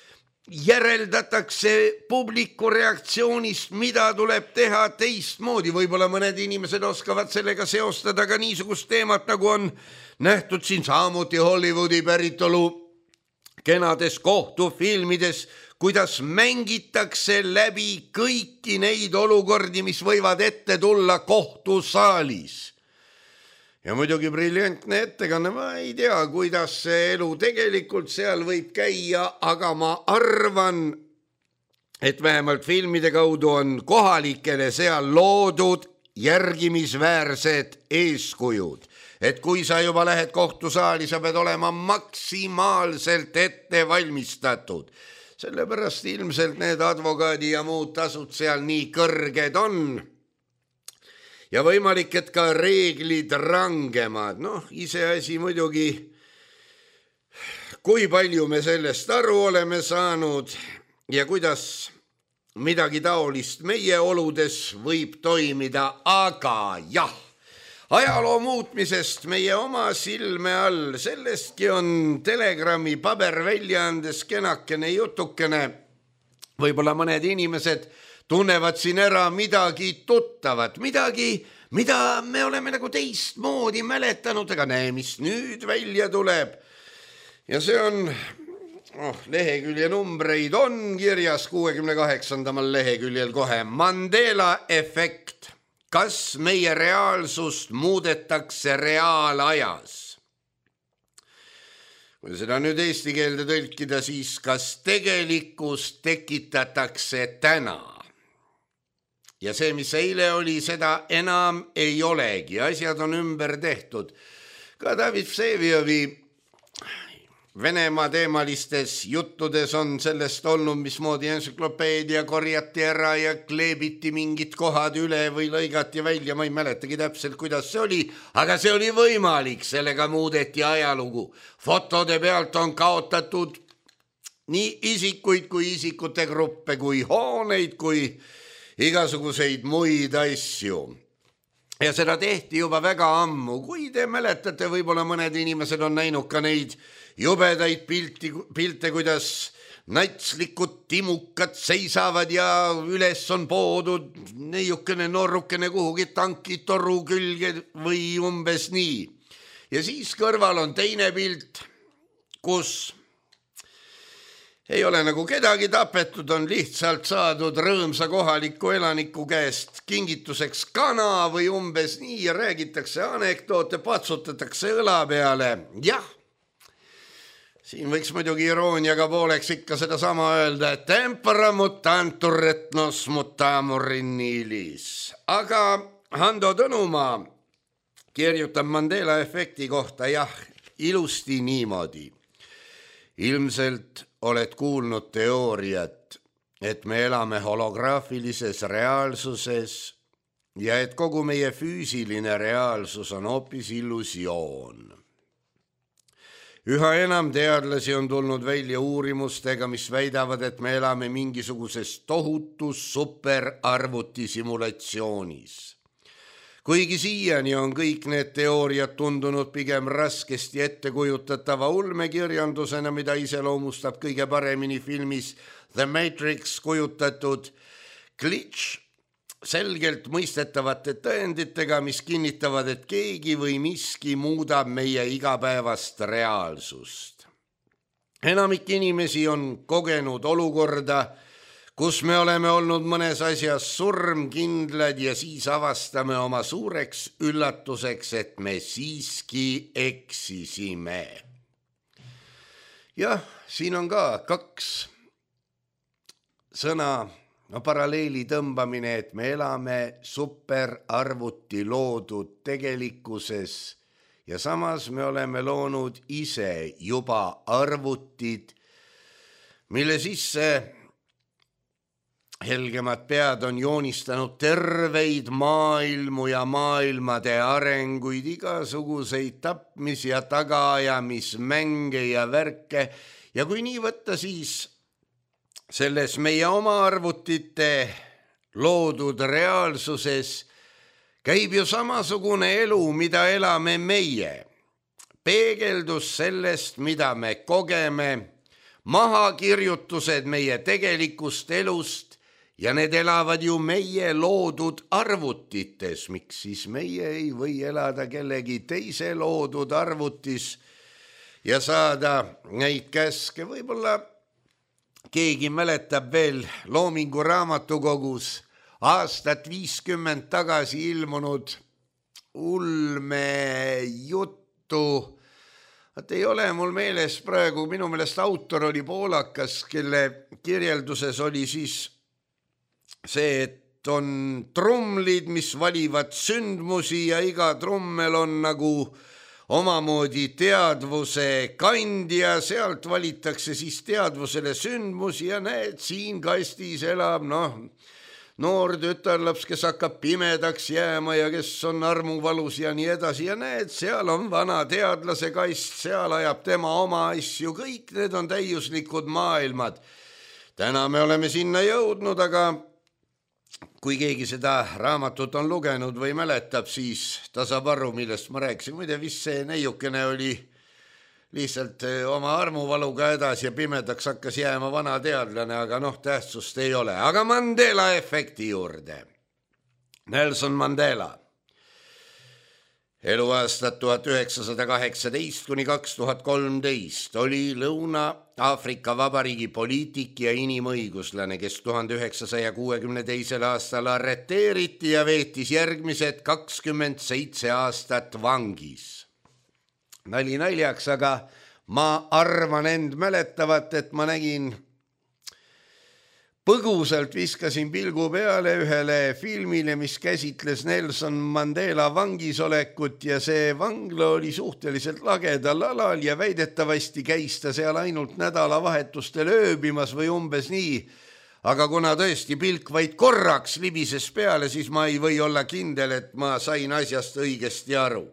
järeldatakse publiku reaktsioonist, mida tuleb teha teistmoodi. Võib-olla mõned inimesed oskavad sellega seostada ka niisugust teemat, nagu on nähtud siin samuti Hollywoodi päritolu kenades kohtufilmides, kuidas mängitakse läbi kõiki neid olukordi, mis võivad ette tulla kohtusaalis. Ja muidugi briljantne ettekanne, ma ei tea, kuidas see elu tegelikult seal võib käia, aga ma arvan, et vähemalt filmide kaudu on kohalikele seal loodud järgimisväärsed eeskujud. Et kui sa juba lähed kohtusaali, sa pead olema maksimaalselt ette valmistatud. Sellepärast ilmselt need advokaadi ja muud tasud seal nii kõrged on. Ja võimalik, et ka reeglid rangemad. Noh, iseasi muidugi, kui palju me sellest aru oleme saanud ja kuidas midagi taolist meie oludes võib toimida, aga jah. Ajaloo muutmisest meie oma silme all, sellestki on Telegrami paberväljaandes kenakene jutukene. Võib-olla mõned inimesed tunnevad siin ära midagi tuttavat, midagi, mida me oleme nagu teistmoodi mäletanud, aga näe, mis nüüd välja tuleb. Ja see on, oh, lehekülje numbreid on kirjas kuuekümne kaheksandamal leheküljel kohe. Mandela efekt. Kas meie reaalsust muudetakse reaalajas? Kui seda nüüd eesti keelde tõlkida, siis kas tegelikkus tekitatakse täna? Ja see, mis eile oli, seda enam ei olegi. Asjad on ümber tehtud. Ka David Vseviovi Venemaa teemalistes juttudes on sellest olnud, mismoodi entsüklopeedia korjati ära ja kleebiti mingid kohad üle või lõigati välja. Ma ei mäletagi täpselt, kuidas see oli, aga see oli võimalik. Sellega muudeti ajalugu. Fotode pealt on kaotatud nii isikuid kui isikute gruppe, kui hooneid, kui igasuguseid muid asju. Ja seda tehti juba väga ammu. Kui te mäletate, võib-olla mõned inimesed on näinud ka neid jubedaid pilti, pilte, kuidas natslikud timukad seisavad ja üles on poodud neiukene noorukene kuhugi tankitoru külge või umbes nii. Ja siis kõrval on teine pilt, kus ei ole nagu kedagi tapetud, on lihtsalt saadud rõõmsa kohaliku elaniku käest kingituseks kana või umbes nii ja räägitakse anekdoote, patsutatakse õla peale. Jah, siin võiks muidugi irooniaga pooleks ikka seda sama öelda, et tempora mutantur et nos mutamur in nilis. Aga Hando Tõnumaa kirjutab Mandela efekti kohta, jah, ilusti niimoodi. Ilmselt oled kuulnud teooriat, et me elame holograafilises reaalsuses ja et kogu meie füüsiline reaalsus on hoopis illusioon. Üha enam teadlasi on tulnud välja uurimustega, mis väidavad, et me elame mingisuguses tohutus superarvuti simulatsioonis. Kuigi siiani on kõik need teooriad tundunud pigem raskesti ettekujutatava ulmekirjandusena, mida iseloomustab kõige paremini filmis The Matrix kujutatud glitch selgelt mõistetavate tõenditega, mis kinnitavad, et keegi või miski muudab meie igapäevast reaalsust. Enamik inimesi on kogenud olukorda, kus me oleme olnud mõnes asjas surmkindlad ja siis avastame oma suureks üllatuseks, et me siiski eksisime. Jah, siin on ka kaks sõna, no paralleeli tõmbamine, et me elame superarvuti loodud tegelikkuses ja samas me oleme loonud ise juba arvutid, mille sisse helgemad pead on joonistanud terveid maailmu ja maailmade arenguid, igasuguseid tapmis- ja tagaajamismänge ja värke ja kui nii võtta, siis selles meie oma arvutite loodud reaalsuses käib ju samasugune elu, mida elame meie. Peegeldus sellest, mida me kogeme, mahakirjutused meie tegelikust elust ja need elavad ju meie loodud arvutites. Miks siis meie ei või elada kellegi teise loodud arvutis ja saada neid käske? Võib-olla keegi mäletab veel Loomingu raamatukogus aastat viiskümmend tagasi ilmunud ulmejuttu. Et ei ole mul meeles praegu, minu meelest autor oli poolakas, kelle kirjelduses oli siis see, et on trummlid, mis valivad sündmusi ja iga trummel on nagu omamoodi teadvuse kandja, sealt valitakse siis teadvusele sündmusi ja näed, siin kastis elab noh, noor tütarlaps, kes hakkab pimedaks jääma ja kes on armuvalus ja nii edasi ja näed, seal on vana teadlase kast, seal ajab tema oma asju, kõik need on täiuslikud maailmad. Täna me oleme sinna jõudnud, aga kui keegi seda raamatut on lugenud või mäletab, siis ta saab aru, millest ma rääkisin. Muide, vist see neiukene oli lihtsalt oma armuvaluga edasi ja pimedaks hakkas jääma vana teadlane, aga noh, tähtsust ei ole. Aga Mandela efekti juurde. Nelson Mandela. Eluaastad tuhat üheksasada kaheksateist kuni kaks tuhat kolmteist oli Lõuna-Aafrika Vabariigi poliitik ja inimõiguslane, kes tuhande üheksasaja kuuekümne teisel aastal arreteeriti ja veetis järgmised kakskümmend seitse aastat vangis. Nali naljaks, aga ma arvan end mäletavat, et ma nägin põgusalt viskasin pilgu peale ühele filmile, mis käsitles Nelson Mandela vangisolekut ja see vangla oli suhteliselt lagedal alal ja väidetavasti käis ta seal ainult nädalavahetustel ööbimas või umbes nii. Aga kuna tõesti pilk vaid korraks libises peale, siis ma ei või olla kindel, et ma sain asjast õigesti aru.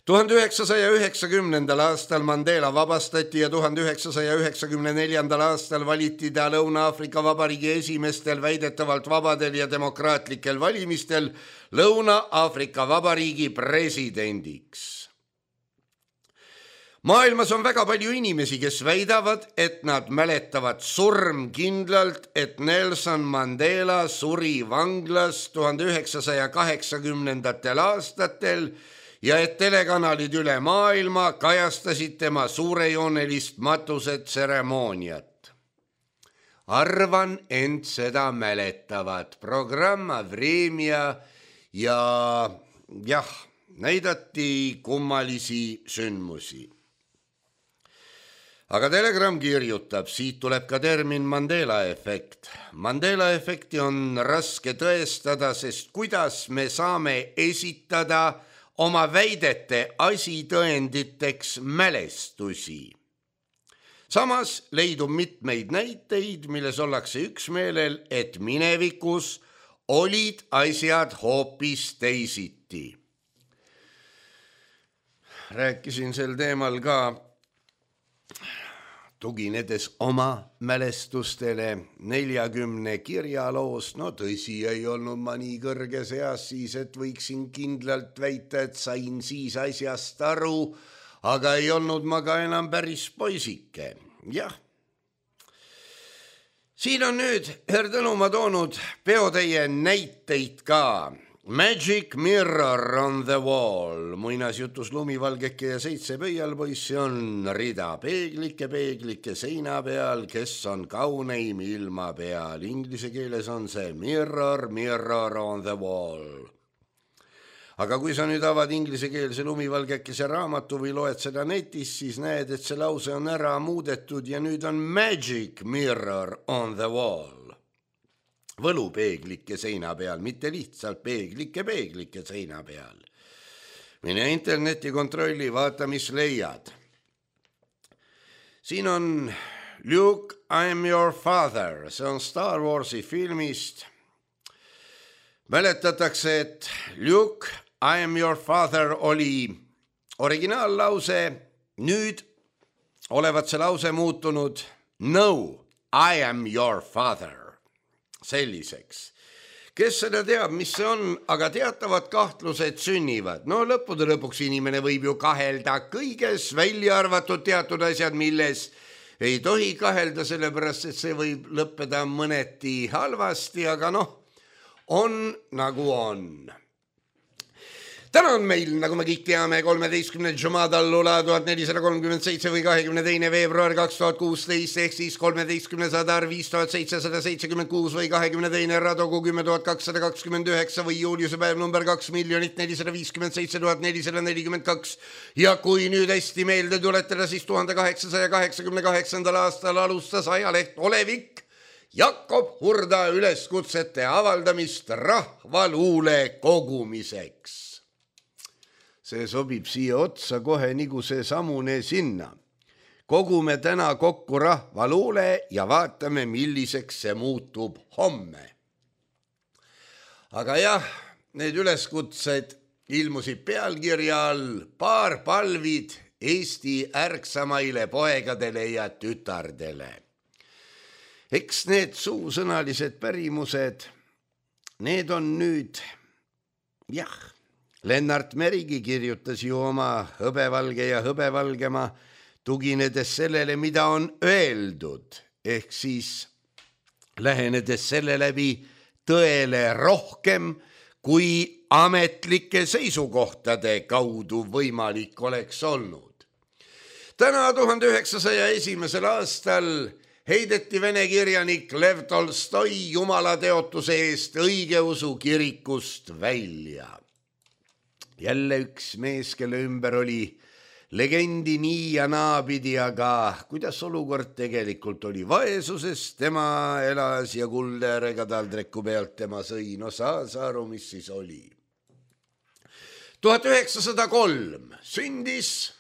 tuhande üheksasaja üheksakümnendal aastal Mandela vabastati ja tuhande üheksasaja üheksakümne neljandal aastal valiti ta Lõuna-Aafrika Vabariigi esimestel väidetavalt vabadel ja demokraatlikel valimistel Lõuna-Aafrika Vabariigi presidendiks. Maailmas on väga palju inimesi, kes väidavad, et nad mäletavad surmkindlalt, et Nelson Mandela suri vanglas tuhande üheksasaja kaheksakümnendatel aastatel ja et telekanalid üle maailma kajastasid tema suurejoonelist matusetseremooniat. Arvan, ent seda mäletavad. Programma Vremja ja jah, näidati kummalisi sündmusi. Aga Telegram kirjutab, siit tuleb ka termin Mandela efekt. Mandela efekti on raske tõestada, sest kuidas me saame esitada oma väidete asitõenditeks mälestusi. Samas leidub mitmeid näiteid, milles ollakse üksmeelel, et minevikus olid asjad hoopis teisiti. Rääkisin sel teemal ka tuginedes oma mälestustele neljakümne kirjaloost. No tõsi, ei olnud ma nii kõrges eas siis, et võiksin kindlalt väita, et sain siis asjast aru, aga ei olnud ma ka enam päris poisike. Jah. Siin on nüüd Herdõnumaa toonud peotäie näiteid ka. Magic Mirror on the Wall, muinasjutus Lumivalgeke ja seitse pöialpoissi on rida peeglike, peeglike seina peal, kes on kauneim ilma peal. Inglise keeles on see Mirror, Mirror on the Wall. Aga kui sa nüüd avad inglisekeelse Lumivalgekese raamatu või loed seda netis, siis näed, et see lause on ära muudetud ja nüüd on Magic Mirror on the Wall. võlupeeglike seina peal, mitte lihtsalt peeglike peeglike seina peal. Mine interneti kontrolli, vaata, mis leiad. Siin on Luke, I am your father, see on Star Warsi filmist. Mäletatakse, et Luke, I am your father oli originaallause, nüüd olevat see lause muutunud no, I am your father. Selliseks. Kes seda teab, mis see on, aga teatavad kahtlused sünnivad. No lõppude lõpuks inimene võib ju kahelda kõiges, välja arvatud teatud asjad, milles ei tohi kahelda, sellepärast, et see võib lõppeda mõneti halvasti, aga noh, on nagu on. Täna on meil, nagu me kõik teame, kolmeteistkümnenda Jumadallula tuhat nelisada kolmkümmend seitse või kahekümne teine veebruar kaks tuhat kuusteist ehk siis kolmeteistkümnes Adar viis tuhat seitsesada seitsekümmend kuus või kahekümne teine Radogu kümme tuhat kakssada kakskümmend üheksa või juuliuse päev number kaks miljonit nelisada viiskümmend seitse tuhat nelisada nelikümmend kaks. Ja kui nüüd hästi meelde tuletada, siis tuhande kaheksasaja kaheksakümne kaheksandal aastal alustas ajaleht Olevik Jakob Hurda üleskutsete avaldamist rahvaluule kogumiseks. See sobib siia otsa kohe nagu see samune sinna. Kogume täna kokku rahvaluule ja vaatame, milliseks see muutub homme. Aga jah, need üleskutsed ilmusid pealkirja all paar palvid Eesti ärksamaile poegadele ja tütardele. Eks need suusõnalised pärimused, need on nüüd, jah, Lennart Merigi kirjutas ju oma Hõbevalge ja hõbevalgema, tuginedes sellele, mida on öeldud, ehk siis lähenedes selle läbi tõele rohkem, kui ametlike seisukohtade kaudu võimalik oleks olnud. Täna tuhande üheksasaja esimesel aastal heideti vene kirjanik Lev Tolstoi jumalateotuse eest õigeusu kirikust välja. Jälle üks mees, kelle ümber oli legendi nii ja naapidi, aga kuidas olukord tegelikult oli vaesuses, tema elas ja kulderega taldriku pealt tema sõi, no saa saaru, mis siis oli. tuhat üheksasada kolm sündis,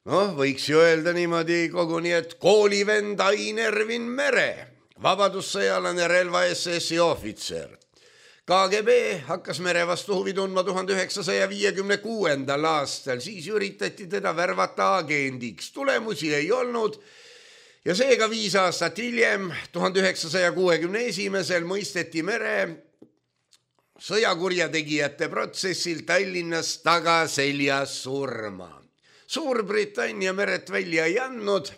noh, võiks ju öelda niimoodi koguni, et koolivend Ain Ervin Mere, vabadussõjalane relva S S-i ohvitser. K G B hakkas mere vastu huvi tundma tuhande üheksasaja viiekümne kuuendal aastal, siis üritati teda värvata agendiks, tulemusi ei olnud ja seega viis aastat hiljem, tuhande üheksasaja kuuekümne esimesel mõisteti Mere sõjakurjategijate protsessil Tallinnas tagaseljas surma. Suurbritannia Meret välja ei andnud,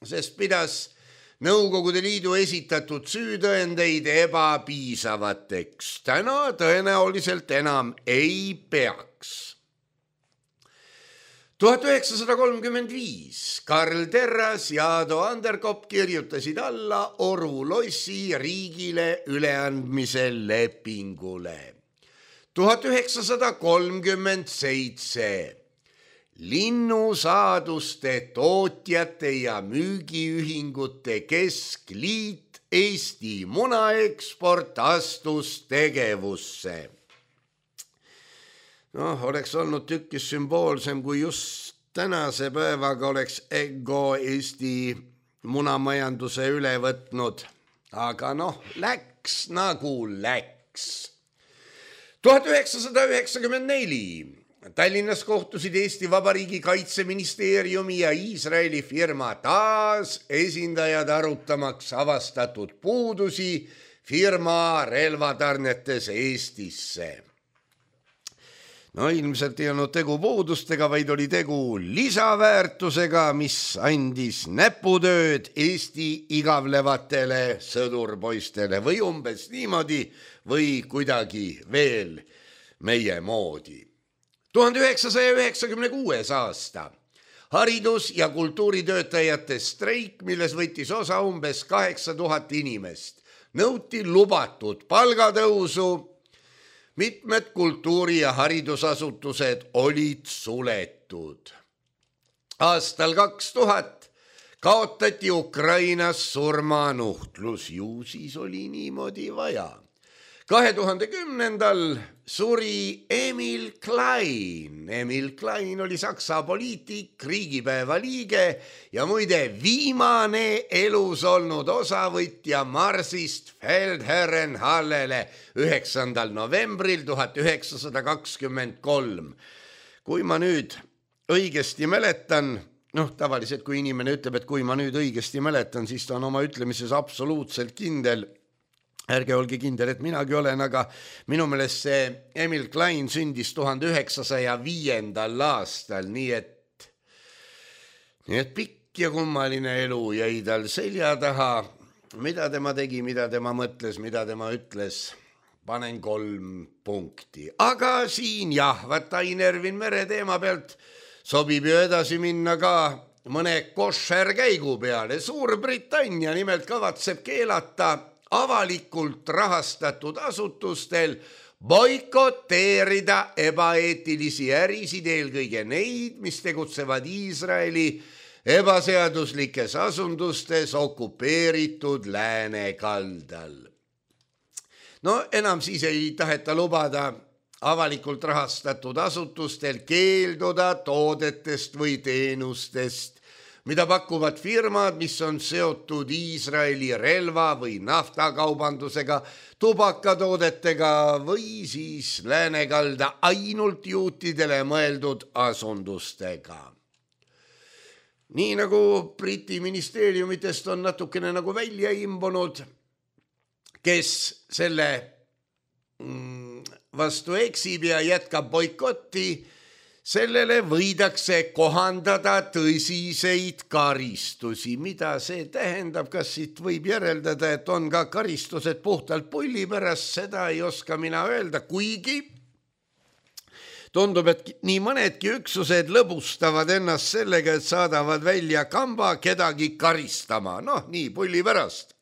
sest pidas Nõukogude Liidu esitatud süütõendeid ebapiisavateks. Täna tõenäoliselt enam ei peaks. tuhat üheksasada kolmkümmend viis Karl Terras ja Ado Anderkopp kirjutasid alla Oru lossi riigile üleandmise lepingule. tuhat üheksasada kolmkümmend seitse Linnusaaduste tootjate ja müügiühingute keskliit Eesti munaeksport astus tegevusse. Noh, oleks olnud tükkis sümboolsem, kui just tänase päevaga oleks Ego Eesti munamajanduse üle võtnud. Aga noh, läks nagu läks. tuhat üheksasada üheksakümmend neli Tallinnas kohtusid Eesti Vabariigi Kaitseministeeriumi ja Iisraeli firma taas esindajad arutamaks avastatud puudusi firma relvatarnetes Eestisse. No ilmselt ei olnud tegu puudustega, vaid oli tegu lisaväärtusega, mis andis näputööd Eesti igavlevatele sõdurpoistele või umbes niimoodi või kuidagi veel meie moodi. tuhande üheksasaja üheksakümne kuues aasta haridus- ja kultuuritöötajate streik, milles võttis osa umbes kaheksa tuhat inimest, nõuti lubatud palgatõusu. Mitmed kultuuri- ja haridusasutused olid suletud. Aastal kaks tuhat kaotati Ukrainas surmanuhtlus, ju siis oli niimoodi vaja. kahe tuhande kümnendal suri Emil Klein. Emil Klein oli Saksa poliitik, riigipäeva liige ja muide viimane elus olnud osavõtja Marsist Feldherrenhallele üheksandal novembril tuhat üheksasada kakskümmend kolm. Kui ma nüüd õigesti mäletan, noh tavaliselt kui inimene ütleb, et kui ma nüüd õigesti mäletan, siis ta on oma ütlemises absoluutselt kindel. Ärge olge kindel, et minagi olen, aga minu meelest see Emil Klein sündis tuhande üheksasaja viiendal aastal, nii et, nii et pikk ja kummaline elu jäi tal selja taha. Mida tema tegi, mida tema mõtles, mida tema ütles, panen kolm punkti. Aga siin jah, vaata Ainervin mere teema pealt sobib ju edasi minna ka mõne košer käigu peale. Suurbritannia nimelt kavatseb keelata avalikult rahastatud asutustel boikoteerida ebaeetilisi ärisid, eelkõige neid, mis tegutsevad Iisraeli ebaseaduslikes asundustes okupeeritud läänekaldal. No enam siis ei taheta lubada avalikult rahastatud asutustel keelduda toodetest või teenustest, mida pakuvad firmad, mis on seotud Iisraeli relva või naftakaubandusega, tubakatoodetega või siis läänekalda ainult juutidele mõeldud asundustega. Nii nagu Briti ministeeriumitest on natukene nagu välja imbunud, kes selle vastu eksib ja jätkab boikotti, sellele võidakse kohandada tõsiseid karistusi. Mida see tähendab, kas siit võib järeldada, et on ka karistused puhtalt pulli pärast, seda ei oska mina öelda, kuigi tundub, et nii mõnedki üksused lõbustavad ennast sellega, et saadavad välja kamba kedagi karistama, noh nii pulli pärast,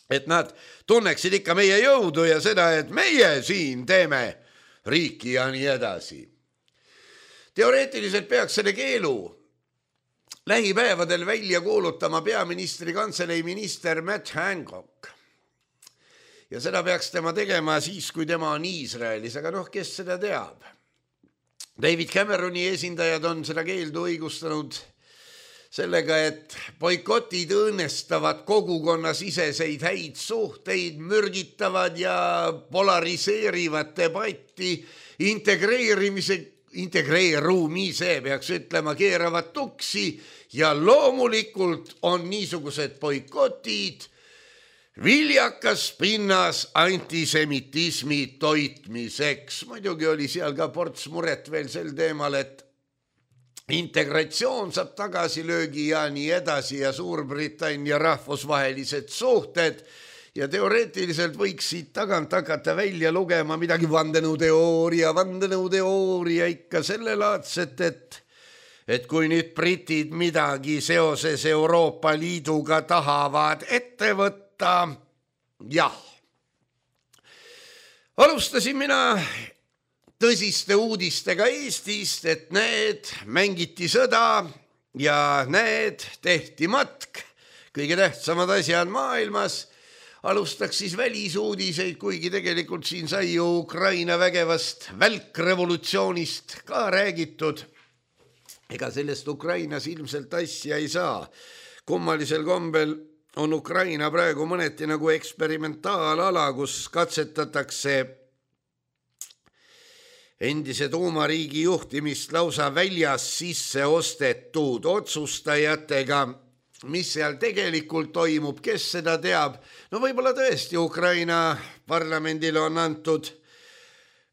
et nad tunneksid ikka meie jõudu ja seda, et meie siin teeme riiki ja nii edasi. Teoreetiliselt peaks selle keelu lähipäevadel välja kuulutama peaministri kantselei minister Matt Hancock. Ja seda peaks tema tegema siis, kui tema on Iisraelis, aga noh, kes seda teab? David Cameroni esindajad on seda keeldu õigustanud sellega, et boikotid õõnestavad kogukonnasiseseid häid suhteid, mürgitavad ja polariseerivad debatti, integreerimise integreerumise peaks ütlema, keeravad tuksi ja loomulikult on niisugused boikotid viljakas pinnas antisemitismi toitmiseks. Muidugi oli seal ka ports muret veel sel teemal, et integratsioon saab tagasilöögi ja nii edasi ja Suurbritannia rahvusvahelised suhted ja teoreetiliselt võiks siit tagant hakata välja lugema midagi vandenõuteooria, vandenõuteooria ikka sellelaadset, et, et kui nüüd britid midagi seoses Euroopa Liiduga tahavad ette võtta, jah. Alustasin mina tõsiste uudistega Eestist, et need mängiti sõda ja need tehti matk, kõige tähtsamad asjad maailmas. Alustaks siis välisuudiseid, kuigi tegelikult siin sai ju Ukraina vägevast välkrevolutsioonist ka räägitud. Ega sellest Ukrainas ilmselt asja ei saa. Kummalisel kombel on Ukraina praegu mõneti nagu eksperimentaalala, kus katsetatakse endise tuumariigi juhtimist lausa väljas sisse ostetud otsustajatega. Mis seal tegelikult toimub, kes seda teab? No võib-olla tõesti Ukraina parlamendile on antud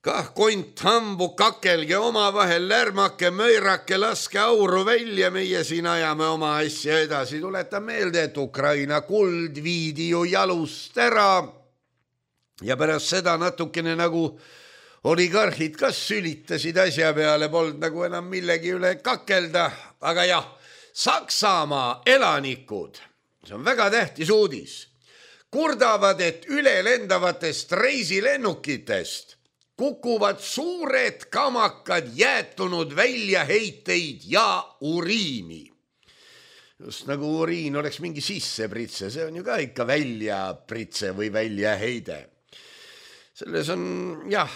kah kont hambu, kakelge oma vahel, lärmake, möirake, laske auru välja, meie siin ajame oma asja edasi. Tuletan meelde, et Ukraina kuld viidi ju jalust ära ja pärast seda natukene nagu oligarhid kas sülitasid asja peale, polnud nagu enam millegi üle kakelda, aga jah, Saksamaa elanikud, see on väga tähtis uudis, kurdavad, et üle lendavatest reisilennukitest kukuvad suured kamakad jäätunud väljaheiteid ja uriini. just nagu uriin oleks mingi sissepritse, see on ju ka ikka väljapritse või väljaheide. Selles on, jah,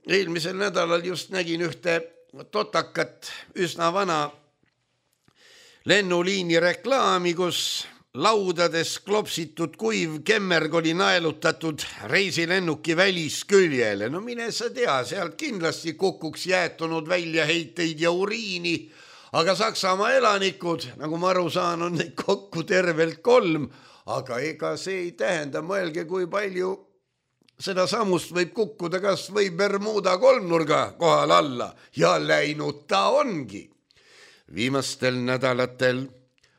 eelmisel nädalal just nägin ühte totakat, üsna vana lennuliini reklaami, kus laudades klopsitud kuiv kemmerg oli naelutatud reisilennuki välisküljele. No mine sa tea, sealt kindlasti kukuks jäätunud väljaheiteid ja uriini, aga Saksamaa elanikud, nagu ma aru saan, on neid kokku tervelt kolm, aga ega see ei tähenda, mõelge, kui palju seda samust võib kukkuda kas või Bermuda kolmnurga kohal alla ja läinud ta ongi. Viimastel nädalatel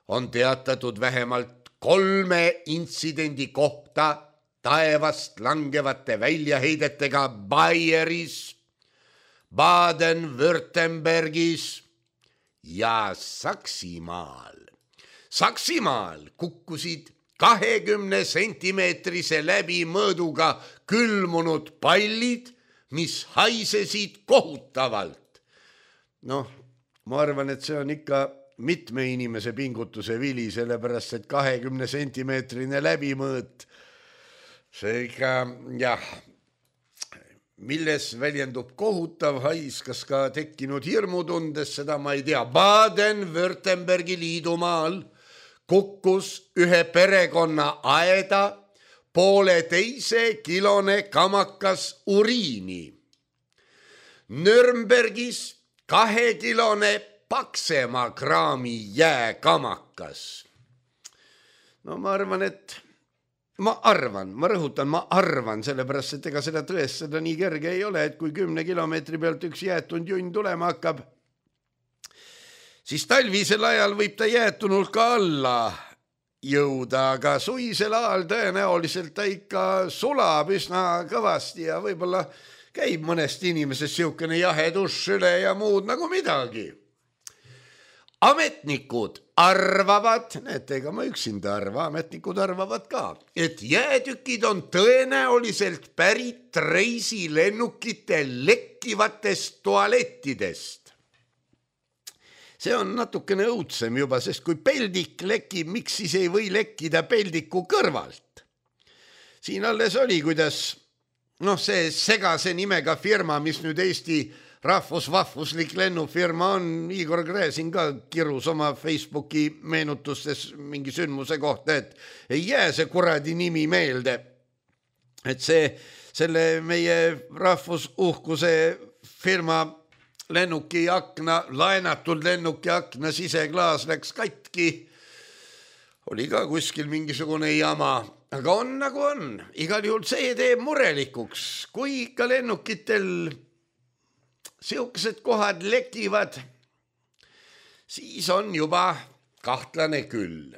on teatatud vähemalt kolme intsidendi kohta taevast langevate väljaheidetega Baieris, Baden-Württembergis ja Saksimaal. Saksimaal kukkusid kahekümne sentimeetrise läbimõõduga külmunud pallid, mis haisesid kohutavalt. Noh, ma arvan, et see on ikka mitme inimese pingutuse vili, sellepärast, et kahekümne sentimeetrine läbimõõt, see ikka, jah, milles väljendub kohutav hais, kas ka tekkinud hirmutundes, seda ma ei tea. Baden-Württembergi liidumaal kukkus ühe perekonna aeda pooleteise kilone kamakas uriini. Nürnbergis kahekilone paksema kraami jääkamakas. No ma arvan, et ma arvan, ma rõhutan, ma arvan, sellepärast, et ega seda tõestada nii kerge ei ole, et kui kümne kilomeetri pealt üks jäätunud junn tulema hakkab, siis talvisel ajal võib ta jäätunult ka alla jõuda, aga suisel ajal tõenäoliselt ta ikka sulab üsna kõvasti ja võib-olla käib mõnest inimesest siukene jahedus üle ja muud nagu midagi. Ametnikud arvavad, näete, ega ma üksinda arva, ametnikud arvavad ka, et jäätükid on tõenäoliselt pärit reisilennukite lekkivatest tualettidest. See on natukene õudsem juba, sest kui peldik lekib, miks siis ei või lekkida peldiku kõrvalt? Siin alles oli, kuidas noh, see segase nimega firma, mis nüüd Eesti rahvusvahvuslik lennufirma on, Igor Gräzin ka kirus oma Facebooki meenutustes mingi sündmuse kohta, et ei jää see kuradi nimi meelde. Et see, selle meie rahvusuhkuse firma lennuki akna, laenatud lennuki akna siseklaas läks katki, oli ka kuskil mingisugune jama, aga on nagu on. Igal juhul see teeb murelikuks, kui ikka lennukitel siukesed kohad lekivad, siis on juba kahtlane küll.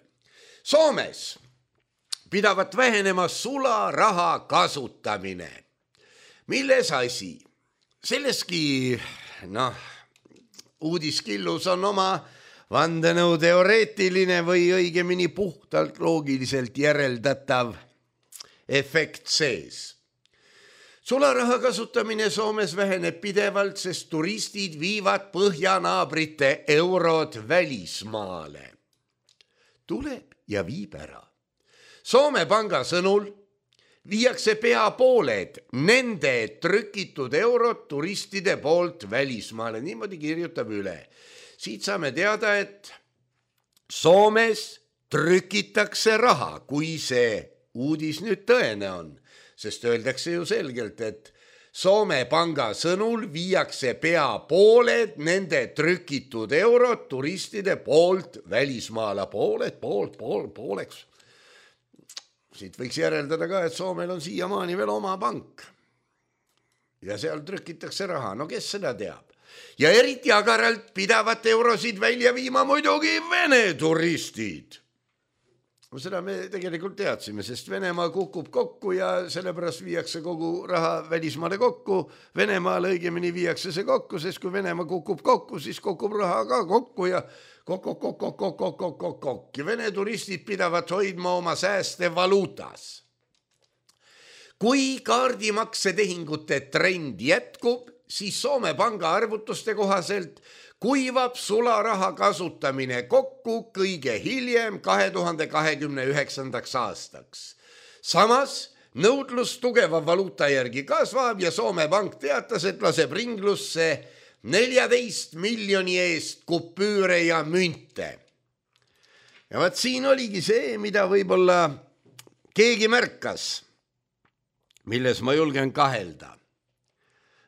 Soomes pidavat vähenema sularaha kasutamine. Milles asi? Selleski, noh, uudiskillus on oma vandenõu teoreetiline või õigemini puhtalt loogiliselt järeldatav efekt sees. Sularaha kasutamine Soomes väheneb pidevalt, sest turistid viivad põhjanaabrite eurod välismaale. Tuleb ja viib ära. Soome panga sõnul viiakse pea pooled nende trükitud eurod turistide poolt välismaale. Niimoodi kirjutab üle. Siit saame teada, et Soomes trükitakse raha, kui see uudis nüüd tõene on. Sest öeldakse ju selgelt, et Soome panga sõnul viiakse pea pooled nende trükitud eurod turistide poolt välismaale. Pooled, pool, pool, pooleks. Siit võiks järeldada ka, et Soomel on siiamaani veel oma pank. Ja seal trükitakse raha. No kes seda teab? Ja eriti agaralt pidavat eurosid välja viima muidugi Vene turistid. Seda me tegelikult teadsime, sest Venemaa kukub kokku ja sellepärast viiakse kogu raha välismaale kokku. Venemaal õigemini viiakse see kokku, sest kui Venemaa kukub kokku, siis kukub raha ka kokku ja kokk, kokk, kokk, kokk, kokk, kokk, kokk, kokk. Ja Vene turistid pidavat hoidma oma sääste valuutas. Kui kaardimaksetehingute trend jätkub, siis Soome panga arvutuste kohaselt kuivab sularaha kasutamine kokku kõige hiljem kahe tuhande kahekümne üheksandaks aastaks. Samas nõudlus tugeva valuuta järgi kasvab ja Soome pank teatas, et laseb ringlusse neljateist miljoni eest kupüüre ja münte. Ja vaat siin oligi see, mida võib-olla keegi märkas, milles ma julgen kahelda.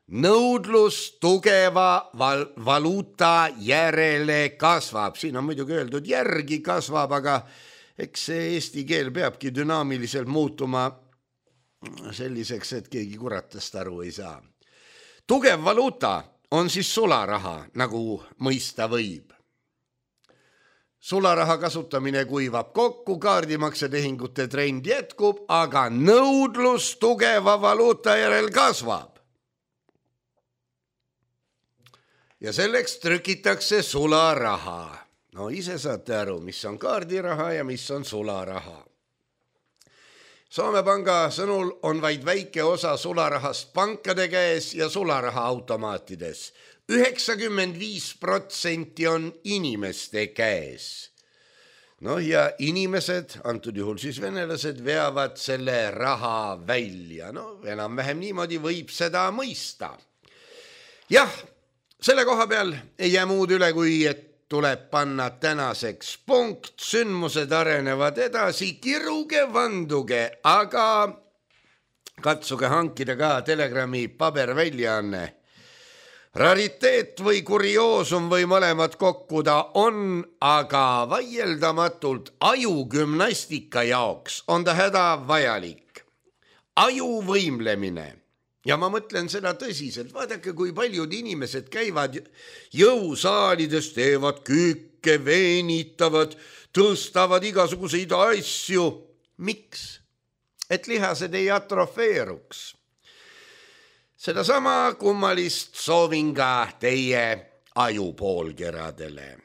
Nõudlus tugeva val- valuuta järele kasvab. Siin on muidugi öeldud järgi kasvab, aga eks see eesti keel peabki dünaamiliselt muutuma selliseks, et keegi kuratast aru ei saa. Tugev valuuta on siis sularaha, nagu mõista võib. Sularaha kasutamine kuivab kokku, kaardimaksetehingute trend jätkub, aga nõudlus tugeva valuuta järel kasvab. Ja selleks trükitakse sularaha. No ise saate aru, mis on kaardiraha ja mis on sularaha. Soome panga sõnul on vaid väike osa sularahast pankade käes ja sularaha automaatides. üheksakümmend viis protsenti on inimeste käes. No ja inimesed, antud juhul siis venelased, veavad selle raha välja. No enam-vähem niimoodi võib seda mõista. Jah, selle koha peal ei jää muud üle, kui et tuleb panna tänaseks punkt, sündmused arenevad edasi, kiruge vanduge, aga katsuge hankida ka Telegrami paberväljaanne. Rariteet või kurioosum või mõlemad kokku ta on, aga vaieldamatult ajugümnastika jaoks on ta hädavajalik. Ajuvõimlemine. Ja ma mõtlen seda tõsiselt, vaadake, kui paljud inimesed käivad jõusaalides, teevad küükke, veenitavad, tõstavad igasuguseid asju. Miks? Et lihased ei atrofeeruks. Sedasama kummalist soovin ka teie ajupoolkeradele.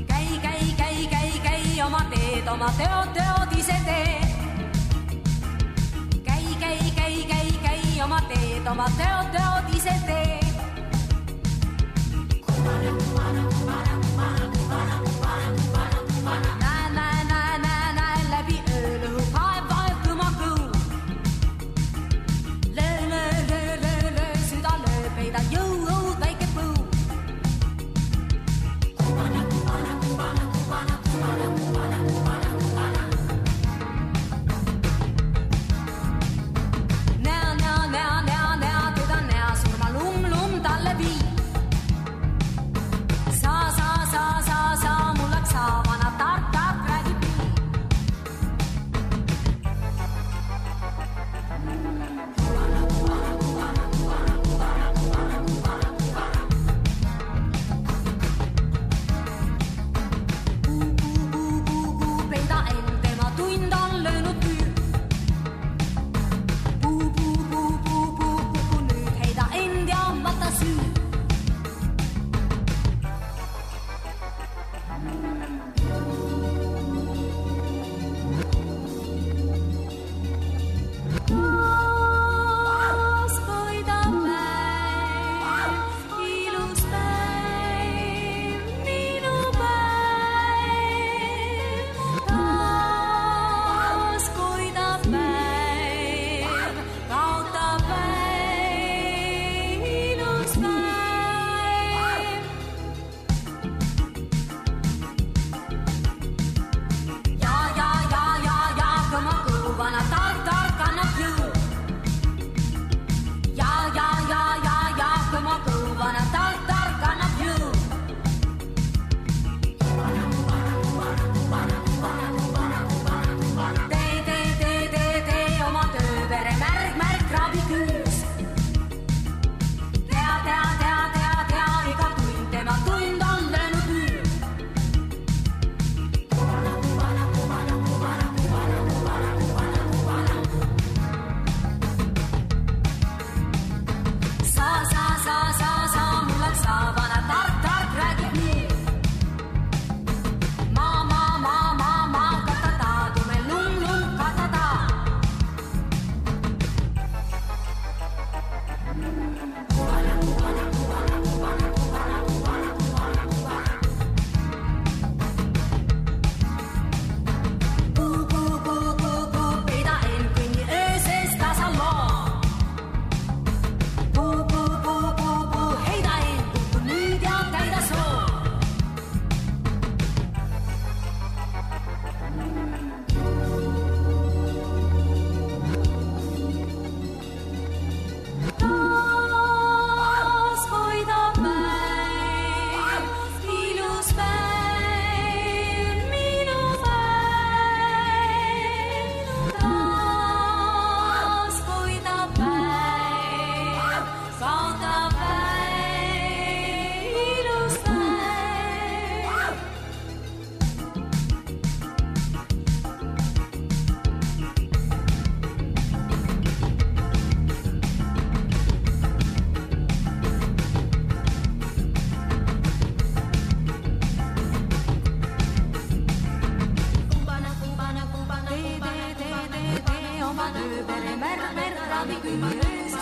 Käi, käi, käi, käi, käi, oma teed, oma teod, teod ise tee. Oma teed, oma teod, teod ise tee. Näe, näe, näe, näe, näe, läbi öölõhu, vaev, vaev, kõma kõu. Löö, löö, löö, löö, löö, süda löö, peida jõu, õud, väike põu. Kuvana, kuvana, kuvana, kuvana, kuvana, kuvana, kuvana, kuvana. Näa, näa, näa, näa, näa, teda näa, surma lum, lum talle vii. ravikünnöös.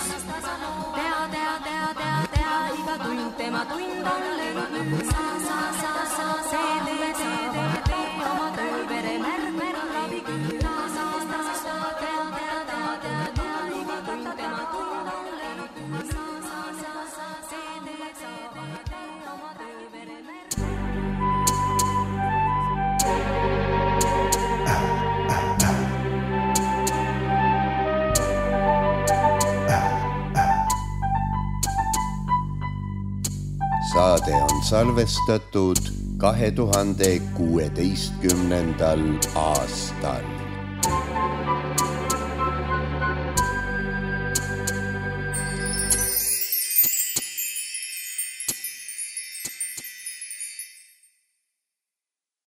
Tea, tea, tea, tea, tea, iga tund tema tund on löönud nüüd. Sa, sa, sa, sa, see tee, tee, tee, tee, oma töö vere märg, märg, ravikünnöös. Sa, sa, sa, tea, tea, tea, tea, tea, iga tund tema tund on löönud nüüd. Sa, sa, sa, sa, see tee, tee, tee, tee, oma töö vere märg. Saade on salvestatud kahe tuhande kuueteistkümnendal aastal.